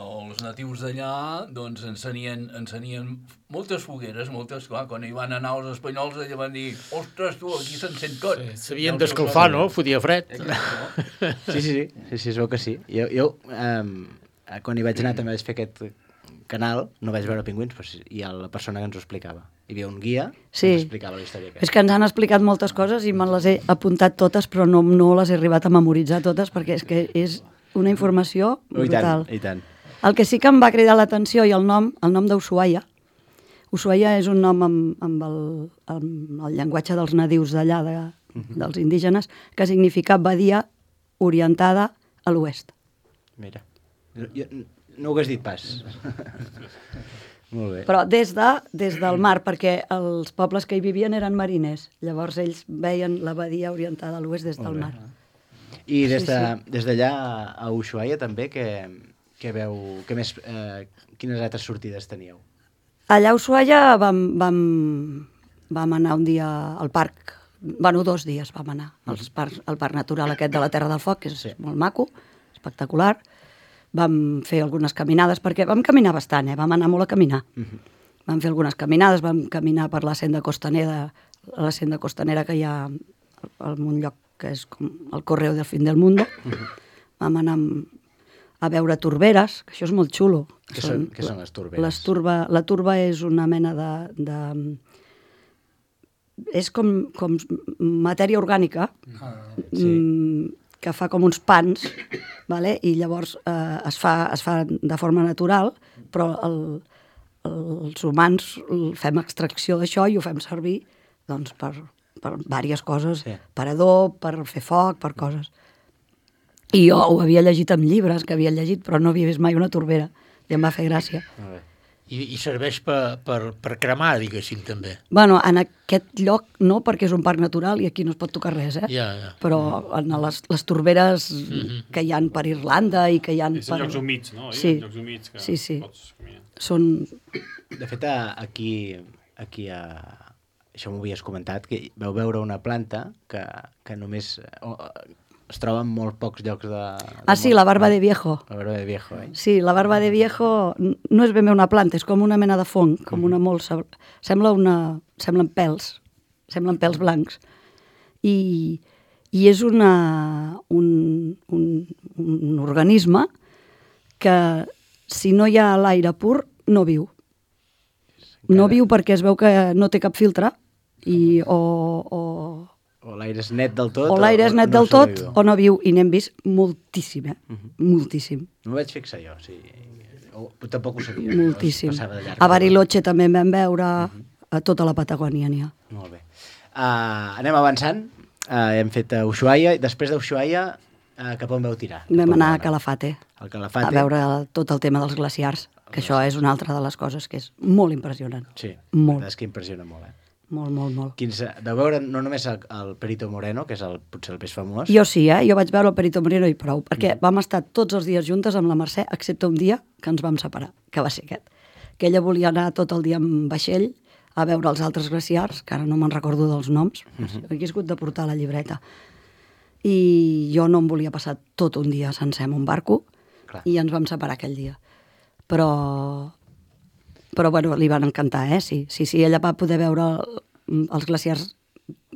Els natius d'allà doncs, encenien, encenien moltes fogueres, moltes, clar, quan hi van anar els espanyols allà van dir, ostres, tu, aquí s'encén tot. Sí, s'havien d'escalfar, no? Fotia fred. Sí, sí, sí, sí, sí, es veu que sí. Jo, jo um, quan hi vaig anar també vaig fer aquest canal, no vaig veure pingüins, però sí, hi ha la persona que ens ho explicava. Hi havia un guia Sí. que ens explicava la història aquesta. És que ens han explicat moltes coses i me les he apuntat totes, però no, no les he arribat a memoritzar totes, perquè és que és una informació Oh, i brutal. tant, i tant. El que sí que em va cridar l'atenció i el nom, el nom d'Ushuaia. Ushuaia és un nom amb, amb, el, amb el llenguatge dels nadius d'allà, de, dels indígenes, que significa badia orientada a l'oest. Mira, jo, jo, no ho hagués dit pas. Molt bé. Però des, de, des del mar, perquè els pobles que hi vivien eren mariners. Llavors ells veien la badia orientada a l'oest des del mar. I des Sí, de- sí. des d'allà a Ushuaia també, que, que veu, que més, eh, quines altres sortides teníeu? Allà a Ushuaia vam, vam, vam anar un dia al parc, bueno, dos dies vam anar als parcs, al parc natural aquest de la Terra del Foc, que és sí. molt maco, espectacular. Vam fer algunes caminades, perquè vam caminar bastant, eh? Vam anar molt a caminar. Uh -huh. Vam fer algunes caminades, vam caminar per la senda costanera, la senda costanera que hi ha en un lloc que és com el Correo del Fin del Mundo. Uh -huh. Vam anar amb, a veure torberes, que això és molt xulo. Què són, què són les torberes? Les turba, la turba és una mena de... de és com, com matèria orgànica, Ah, sí. mm, que fa com uns pans, vale? I llavors eh, es, fa, es fa de forma natural, però el, els humans fem extracció d'això i ho fem servir doncs, per, per diverses coses, sí. per adob, per fer foc, per coses. I jo ho havia llegit en llibres, que havia llegit, però no havia vist mai una torbera, i em va fer gràcia. I, i serveix per, per, per cremar, diguéssim, també. Bueno, en aquest lloc no, perquè és un parc natural i aquí no es pot tocar res, eh? Ja, ja. Però en les, les torberes Mhm. que hi han per Irlanda i que hi han És per... en llocs humits, no? Hi ha Sí, llocs humits que sí, sí. pots caminar. Són... De fet, a- aquí, aquí a... això m'ho havies comentat, que veu veure una planta que, que només o, es troba en molt pocs llocs de... de Ah, sí, món. la barba de viejo. La barba de viejo, eh? Sí, la barba de viejo n- no és ben bé una planta, és com una mena de fong, com una molsa. Sembla una... Semblen pèls, semblen pèls blancs. I, i és una, un, un, un organisme que, si no hi ha l'aire pur, no viu. No viu perquè es veu que no té cap filtre i o, o, O l'aire és net del tot... o l'aire és net no del tot sobreviu. o no viu, i n'hem vist moltíssim, eh? Moltíssim. No m'ho vaig fixar jo, sí. O, tampoc ho sabia. Moltíssim. Passava de llarg. A Bariloche també en vam veure, a tota la Patagònia n'hi ha. Molt bé. Uh, anem avançant. Uh, hem fet uh, Ushuaia. Després d'Ushuaia, uh, cap on veu tirar? Cap Vam on anar vau a Calafate, Al Calafate. a veure tot el tema dels glaciars, que això és una altra de les coses que és molt impressionant. Sí, Molt. la veritat és que impressiona molt, eh? Molt, molt, molt. Quins, de veure no només el, el Perito Moreno, que és el, potser el més famós. Jo sí, eh? Jo vaig veure el Perito Moreno i prou, perquè vam estar tots els dies juntes amb la Mercè, excepte un dia que ens vam separar, que va ser aquest. Que ella volia anar tot el dia amb vaixell a veure els altres glaciars, que ara no me'n recordo dels noms, Mhm. he hagut de portar la llibreta. i jo no em volia passar tot un dia sencer en un barco, Clar. i ens vam separar aquell dia. Però, però bueno, li van encantar, eh? Sí, sí, sí, ella va poder veure el, els glaciars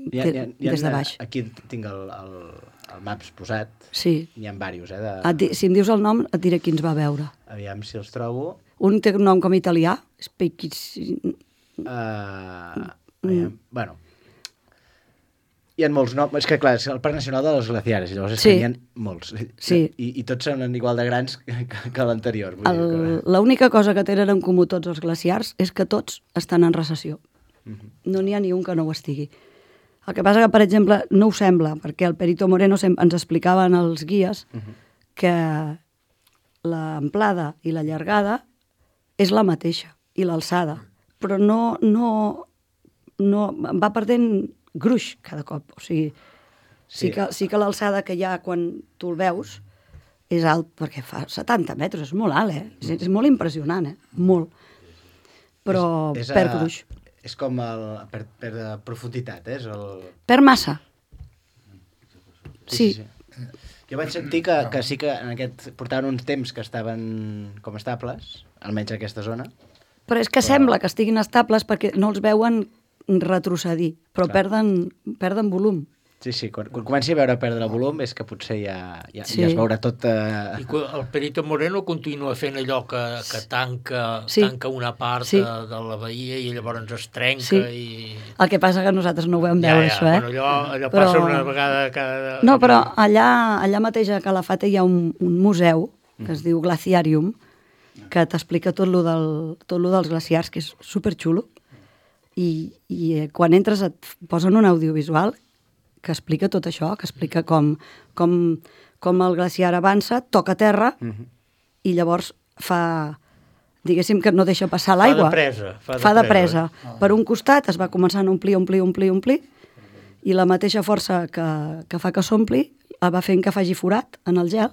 Hi ha, hi ha, hi ha, des de baix. Aquí tinc el, el, el Maps posat. Sí. N'hi ha diversos, eh? De... Et di, si em dius el nom, et diré qui ens va veure. Aviam si els trobo. Un té un nom com italià, Speichis... Uh, aviam, bueno, hi ha molts noms, és que clar, és el Parc Nacional de los Glaciares, llavors és Sí. que n'hi ha molts, Sí. I, i tots són igual de grans que, que l'anterior. vull dir El- que- L'única cosa que tenen en comú tots els glaciars és que tots estan en recessió. Mhm. No n'hi ha ni un que no ho estigui. El que passa que, per exemple, no ho sembla, perquè el Perito Moreno sem- ens explicaven els guies que l'amplada i la llargada és la mateixa, i l'alçada, però no, no, no va perdent gruix cada cop. O sigui, sí, Sí. que, sí que l'alçada que hi ha quan tu el veus és alt, perquè fa setanta metres, és molt alt, eh? És, és molt impressionant, eh? Molt. Però és, és, perd a- gruix. És com el, per, per de profunditat, eh? És el... Perd massa. Sí, Sí. sí, sí. Jo vaig sentir que, que sí que en aquest portaven uns temps que estaven com estables, almenys a aquesta zona. Però és que sembla que estiguin estables perquè no els veuen retrocedir, però Clar. perden, perden volum. Sí, sí, quan, quan comenci a veure perdre volum és que potser ja, ja, Sí. ja es veurà tot... Eh... I que el Perito Moreno continua fent allò que, que tanca, Sí. tanca una part Sí. de, de la bahia i llavors es trenca Sí. i... El que passa que nosaltres no ho vam veure, això, eh? Bueno, allò, allò Però- passa una vegada cada... No, però allà, allà mateix a Calafate hi ha un, un museu que es diu Glaciarium, que t'explica tot lo, del, tot lo dels glaciars, que és superxulo, i, i eh, quan entres et posen un audiovisual que explica tot això, que explica com, com, com el glaciar avança, toca terra, i llavors fa, diguéssim que no deixa passar Fa de l'aigua. presa, fa de Fa de presa. presa. Per un costat es va començant a omplir, omplir, omplir, omplir, i la mateixa força que, que fa que s'ompli el va fent que faci forat en el gel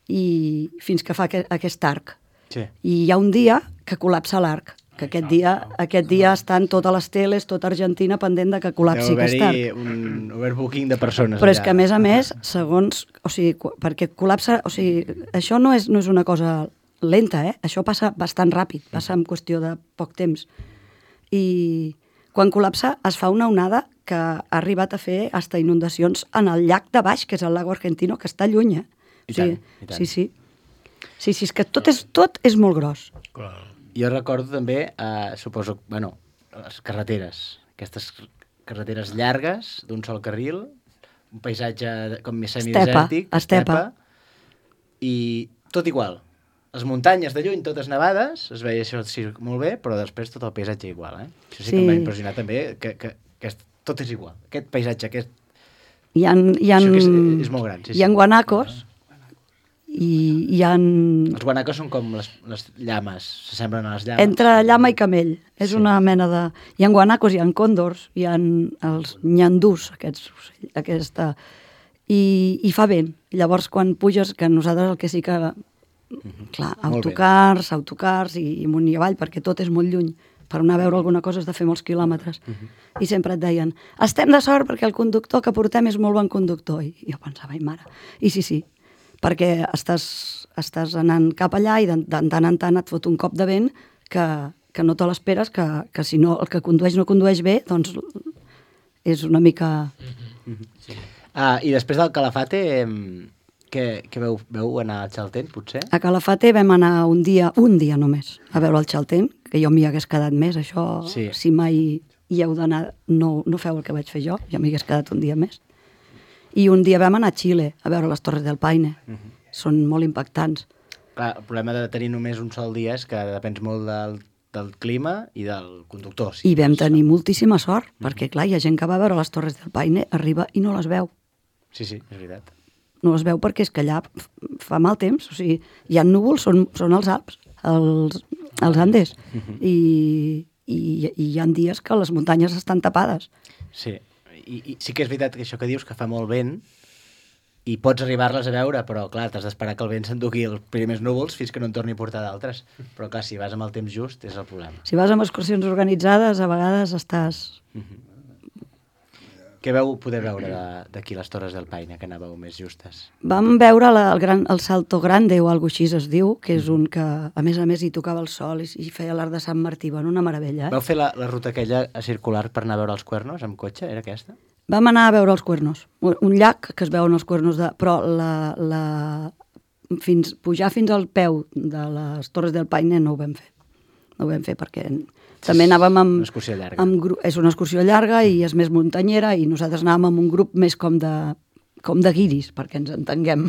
i fins que fa aquest, aquest arc. Sí. I hi ha un dia que col·lapsa l'arc, que aquest dia, aquest dia estan totes les teles, tota Argentina pendent de que col·lapsi Deu aquest haver-hi arc. un overbooking de persones. Però és allà. que, a més a més, segons... O sigui, cu- perquè col·lapsa... O sigui, això no és, no és una cosa lenta, eh? Això passa bastant ràpid, passa en qüestió de poc temps. I quan col·lapsa es fa una onada que ha arribat a fer hasta inundacions en el llac de baix, que és el lago Argentino, que està lluny, eh? I O sigui, tant, i tant. Sí, sí. Sí, sí, és que tot és, tot és molt gros. Jo recordo també, eh, suposo, bueno, les carreteres, aquestes carreteres llargues, d'un sol carril, un paisatge de- com més semidesèrtic, estepa. i tot igual. Les muntanyes de lluny, totes nevades, es veia això sí, molt bé, però després tot el paisatge igual, eh? Això sí, Sí. que em va impressionar també, que, que, que est- tot és igual. Aquest paisatge, aquest... Hi ha, hi ha, Això que és, és molt gran, sí, sí. hi ha guanacos i hi ha... Els guanacos són com les, les llames, s'assemblen a les llames. Entre llama i camell. És Sí. una mena de... Hi ha guanacos, hi ha còndors, hi ha els nyandús, aquests ocells, aquesta... I, I fa vent. Llavors, quan puges, que nosaltres el que sí que... Clar, Molt bé. autocars, autocars i, i amunt i avall, perquè tot és molt lluny. Per anar a veure alguna cosa has de fer molts quilòmetres. I sempre et deien, estem de sort perquè el conductor que portem és molt bon conductor. I jo pensava, ai mare. I sí, sí, perquè estàs, estàs anant cap allà i de, de tant en tant et fot un cop de vent que, que no te l'esperes, que, que si no el que condueix no condueix bé, doncs és una mica... Ah, i després del Calafate, em, què, què veu, veu anar al Chaltén, potser? A Calafate vam anar un dia, un dia només, a veure el Chaltén, que jo m'hi hagués quedat més, això, Sí. si mai hi heu d'anar, no, no feu el que vaig fer jo, ja m'hi hagués quedat un dia més. I un dia vam anar a Xile, a veure les Torres del Paine. Són molt impactants. Clar, el problema de tenir només un sol dia és que depens molt del, del clima i del conductor. Sí. I vam tenir moltíssima sort, perquè clar, hi ha gent que va a veure les Torres del Paine, arriba i no les veu. Sí, sí, és veritat. No les veu perquè és que allà f- fa mal temps, o sigui, hi ha núvols, són, són els Alps, els, els Andes, i, i, i hi ha dies que les muntanyes estan tapades. Sí, I, i sí que és veritat que això que dius, que fa molt vent, i pots arribar-les a veure, però clar, t'has d'esperar que el vent s'endugui els primers núvols fins que no en torni a portar d'altres. Però clar, si vas amb el temps just, és el problema. Si vas amb excursions organitzades, a vegades estàs... Què veu poder veure d'aquí les Torres del Paine, que anàveu més justes? Vam veure la, el, gran, el Salto Grande, o alguna així es diu, que és un que, a més a més, hi tocava el sol i, i feia l'art de Sant Martí. Bueno, una meravella, eh? Vau fer la, la ruta aquella circular per anar a veure els Cuernos amb cotxe? Era aquesta? Vam anar a veure els Cuernos. Un llac que es veuen els Cuernos, de, però la, la, fins, pujar fins al peu de les Torres del Paine no ho vam fer. No ho vam fer perquè també anàvem amb... Una excursió llarga. Amb, és una excursió llarga i és més muntanyera i nosaltres anàvem amb un grup més com de, com de guiris, perquè ens entenguem,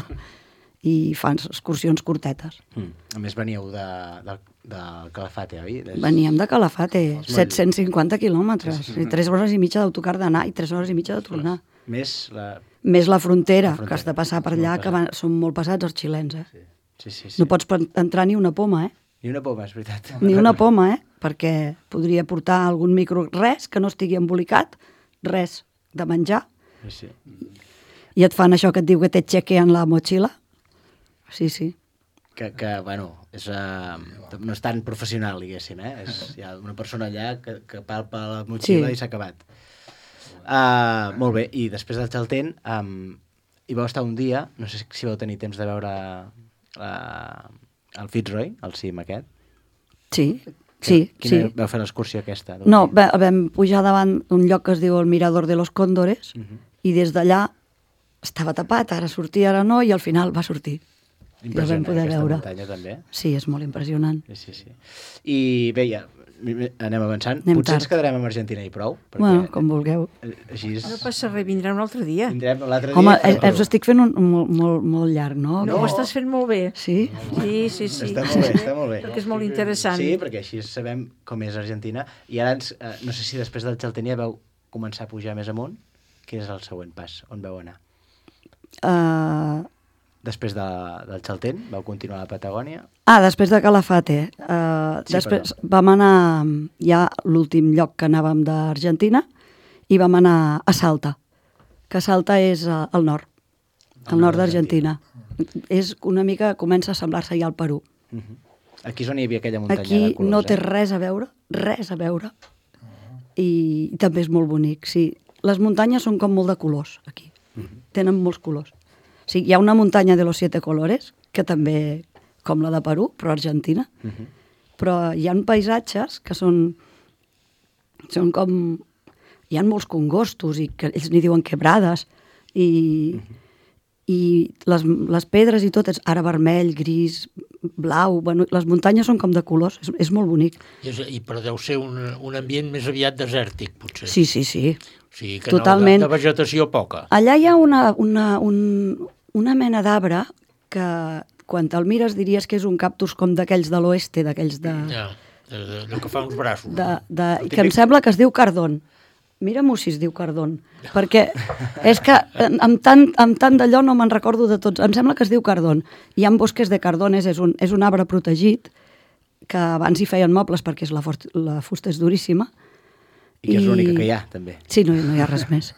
i fan excursions curtetes. Mm. A més, veníeu de, de, de Calafate, oi? Des... Veníem de Calafate, set-cents cinquanta quilòmetres, sí, sí. i tres hores i mitja d'autocar d'anar i tres hores i mitja de tornar. Més la... Més la frontera, la frontera, que has de passar per allà, que van, són molt passats els xilens, eh? Sí, sí, sí. No pots entrar ni una poma, eh? Ni una poma, és veritat. Ni una poma, eh? Perquè podria portar algun micro... Res que no estigui embolicat, res de menjar. Sí. I et fan això que et diu que te chequean la motxilla. Sí, sí. Que, que bueno, és, uh, no és tan professional, diguéssim, eh? És, hi ha una persona allà que, que palpa la motxilla sí. i s'ha acabat. Uh, molt bé, i després del Chaltén um, hi vau estar un dia, no sé si vau tenir temps de veure uh, el Fitzroy, el cim aquest. Sí, sí. Quina sí. Vau fer l'excursió aquesta? No, va, vam pujar davant un lloc que es diu el Mirador de los Cóndores uh -huh. i des d'allà estava tapat, ara sortia, ara no, i al final va sortir. Impressionant, ja aquesta veure. Muntanya també. Sí, és molt impressionant. Sí, sí, sí. I bé, ja, anem avançant. Anem Potser tard. ens quedarem amb Argentina i prou. Perquè, bueno, com vulgueu. Així és... No passa res, vindrà un altre dia. Vindrem l'altre dia. Home, eh, us estic fent un, un, molt, molt, molt llarg, no? No, ho estàs fent molt bé. Sí? Sí, sí, sí. Està molt bé, està molt bé. Perquè és molt interessant. Sí, perquè així sabem com és Argentina. I ara, ens, eh, no sé si després del Chaltén ja veu començar a pujar més amunt. Quin és el següent pas? On veu anar? Uh... Després de, del Chaltén, vau continuar a la Patagònia? Ah, després de Calafate. Uh, sí, després perdó. Vam anar ja l'últim lloc que anàvem d'Argentina i vam anar a Salta, que Salta és uh, al nord, al nord d'Argentina. És una mica, comença a semblar-se ja al Perú. Uh -huh. Aquí és on hi havia aquella muntanya Aquí de colors, no té eh? res a veure, res a veure. I, i també és molt bonic, sí. Les muntanyes són com molt de colors, aquí. Uh -huh. Tenen molts colors. Sí, hi ha una muntanya de los siete colores, que també, com la de Perú, però Argentina. Uh -huh. Però hi ha paisatges que són, són com... Hi ha molts congostos, i que ells n'hi diuen quebrades, i, uh -huh. i les, les pedres i tot és ara vermell, gris, blau... Bueno, les muntanyes són com de colors, és, és molt bonic. I, és, i però deu ser un, un ambient més aviat desèrtic, potser. Sí, sí, sí. O sigui que totalment. No, de, de vegetació poca. Allà hi ha una, una, un, una mena d'arbre que quan te'l mires diries que és un cactus com d'aquells de l'oeste, d'aquells de... Ja, de, de, de que fa uns braços. De, de, que em sembla que es diu cardón. Mira-m'ho si es diu cardón, perquè és que amb tant, amb tant d'allò no me'n recordo de tots. Em sembla que es diu cardón. Hi ha bosques de cardones, és un, és un arbre protegit, que abans hi feien mobles perquè és la, fort, la fusta és duríssima. I que és l'única que hi ha, també. Sí, no, no hi ha res més.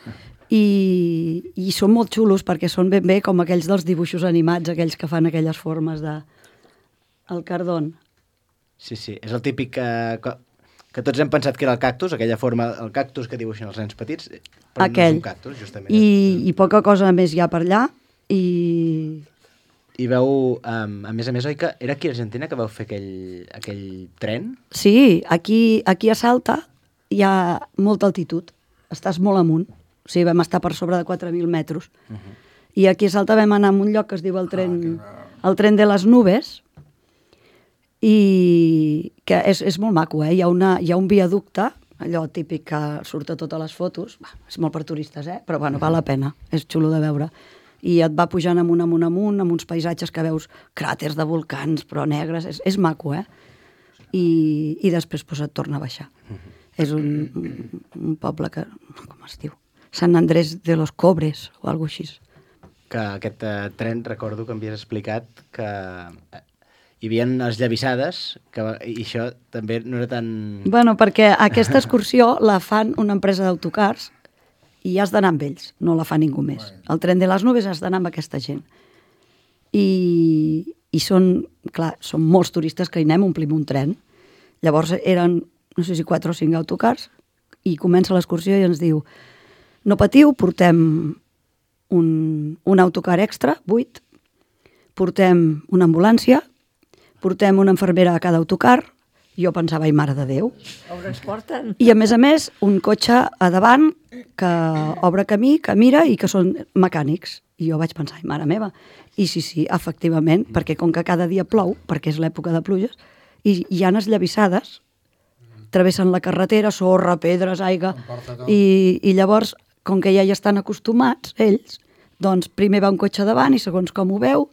I, i són molt xulos perquè són ben bé com aquells dels dibuixos animats, aquells que fan aquelles formes de... El cardón. Sí, sí, és el típic que, que tots hem pensat que era el cactus, aquella forma, el cactus que dibuixen els nens petits, però Aquell. no és un cactus, justament. I, i poca cosa més hi ha per allà, i... I veu, um, a més a més, oi que era aquí a Argentina que vau fer aquell, aquell tren? Sí, aquí, aquí a Salta hi ha molta altitud, estàs molt amunt. O sigui, vam estar per sobre de quatre mil metres. Uh -huh. I aquí a Salta vam anar a un lloc que es diu el tren, ah, el tren de les nubes, i que és, és molt maco, eh? Hi ha, una, hi ha un viaducte, allò típic que surt a totes les fotos, bah, és molt per turistes, eh? Però bueno, val la pena, és xulo de veure. I et va pujant amunt, amunt, amunt, amb uns paisatges que veus cràters de volcans, però negres, és, és maco, eh? I, i després pues, et torna a baixar. Uh -huh. És un, un, un poble que, com es diu? Sant Andrés de los Cobres, o alguna cosa així. Que aquest uh, tren, recordo que m'havies explicat que uh, hi havia esllavissades, que, i això també no era tan... Bueno, perquè aquesta excursió la fan una empresa d'autocars i has d'anar amb ells, no la fa ningú més. El tren de les nubes has d'anar amb aquesta gent. I, i són, clar, són molts turistes que hi anem, omplim un tren. Llavors eren, no sé si quatre o cinc autocars, i comença l'excursió i ens diu no patiu, portem un, un autocar extra, buit, portem una ambulància, portem una infermera a cada autocar, jo pensava, ai, mare de Déu. On ens porten? I a més a més, un cotxe a davant que obre camí, que mira i que són mecànics. I jo vaig pensar, ai, mare meva. I sí, sí, efectivament, perquè com que cada dia plou, perquè és l'època de pluges, i hi ha esllavissades, travessen la carretera, sorra, pedres, aigua, i, i llavors, com que ja hi estan acostumats, ells, doncs primer va un cotxe davant i segons com ho veu,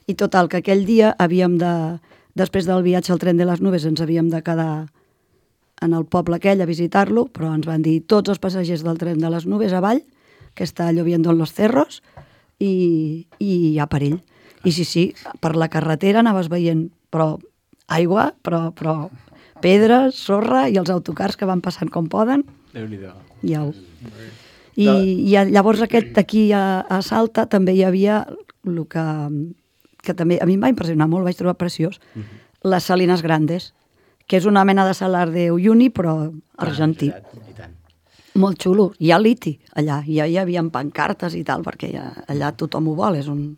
i total, que aquell dia havíem de... Després del viatge al tren de les nubes ens havíem de quedar en el poble aquell a visitar-lo, però ens van dir tots els passatgers del tren de les nubes avall, que està lloviendo en los cerros, i, i hi ha perill. I sí, sí, per la carretera anaves veient però aigua, però, però pedres, sorra, i els autocars que van passant com poden. Déu-n'hi-do. Ja ho. I, i llavors aquest aquí a, a Salta també hi havia el que... que també a mi em va impressionar molt, vaig trobar preciós, uh-huh. les Salinas Grandes, que és una mena de Salar de Uyuni, però argentí. Ah, i tant. Molt xulo. Hi ha liti allà, ja hi havia pancartes i tal, perquè ja, allà tothom ho vol, és un...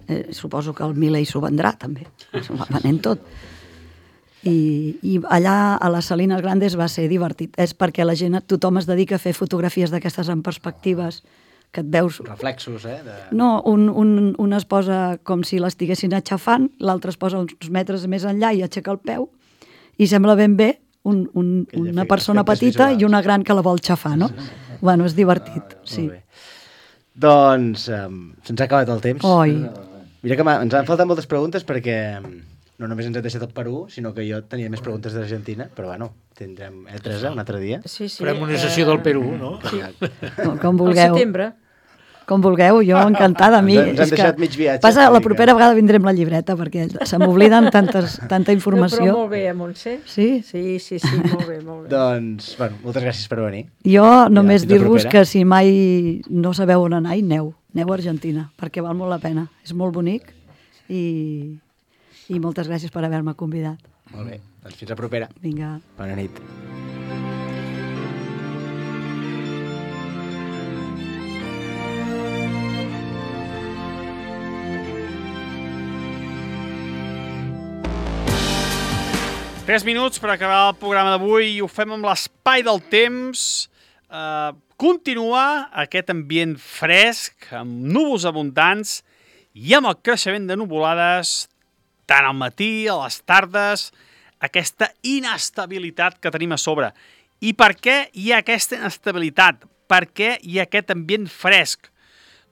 Eh, suposo que el Milei s'ho vendrà, també. S'ho va venent tot. I, I allà a les Salinas Grandes va ser divertit. És perquè la gent, tothom es dedica a fer fotografies d'aquestes en perspectives, que et veus... Reflexos, eh? De... No, un, un, un es posa com si l'estiguessin aixafant, l'altre es posa uns metres més enllà i aixeca el peu, i sembla ben bé un, un, una persona petita visuals. I una gran que la vol xafar, no? Bueno, és divertit, ah, sí. Doncs um, se'ns ha acabat el temps. Oi. Mira que ens han faltat moltes preguntes perquè no només ens ha deixat el Perú, sinó que jo tenia més preguntes d'Argentina, però bueno, tindrem, eh, Teresa, un altre dia? Sí, sí. Farem una sessió del Perú, no? Sí. Com, com vulgueu. Al setembre. Com vulgueu, jo encantada. A mi, ens han deixat mig viatge. Passa, la propera vegada vindrem la llibreta, perquè se m'obliden tantes, tanta informació. No, però molt bé, Montse. Sí? Sí, sí, sí, molt bé, molt bé. Doncs, bueno, moltes gràcies per venir. Jo només dir-vos que si mai no sabeu on anar, aneu. Aneu a Argentina, perquè val molt la pena. És molt bonic i, i moltes gràcies per haver-me convidat. Molt bé, doncs fins la propera. Vinga. Bona nit. Tres minuts per acabar el programa d'avui i ho fem amb l'espai del temps. Uh, continua aquest ambient fresc, amb núvols abundants i amb el creixement de nuvolades, tant al matí, a les tardes, aquesta inestabilitat que tenim a sobre. I per què hi ha aquesta inestabilitat? Per què hi ha aquest ambient fresc?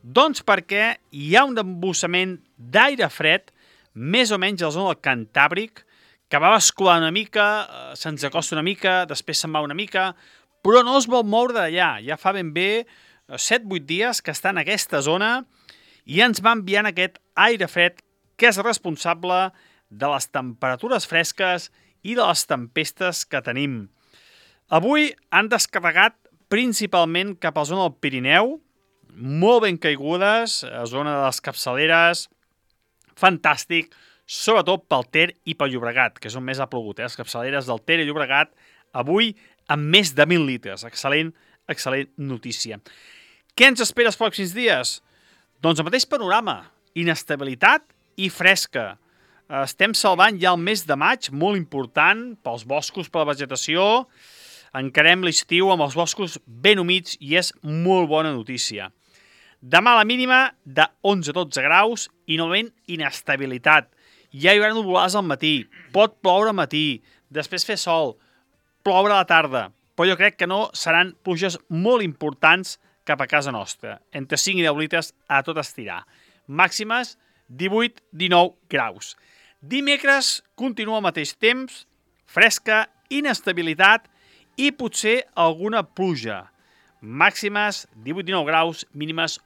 Doncs perquè hi ha un embussament d'aire fred, més o menys a la zona del Cantàbric, que va bascular una mica, se'ns acosta una mica, després se'n va una mica, però no es vol moure d'allà. Ja fa ben bé set vuit dies que està en aquesta zona i ens va enviant aquest aire fred que és responsable de les temperatures fresques i de les tempestes que tenim. Avui han descarregat principalment cap a la zona del Pirineu, molt ben caigudes, a zona de les capçaleres, fantàstic, sobretot pel Ter i pel Llobregat, que és on més ha plogut, eh? Les capçaleres del Ter i Llobregat, avui amb més de mil litres. Excel·lent, excel·lent notícia. Què ens espera els pròxims dies? Doncs el mateix panorama, inestabilitat i fresca. Estem salvant ja el mes de maig, molt important, pels boscos, per la vegetació. Encarem l'estiu amb els boscos ben humits i és molt bona notícia. Demà la mínima de onze a dotze graus i novament inestabilitat. Ja hi haurà nuvolades al matí, pot ploure al matí, després fer sol, ploure a la tarda, però jo crec que no seran pluges molt importants cap a casa nostra, entre cinc i deu litres a tot estirar. Màximes divuit a dinou graus. Dimecres continua al mateix temps, fresca, inestabilitat i potser alguna pluja. Màximes divuit a dinou graus, mínimes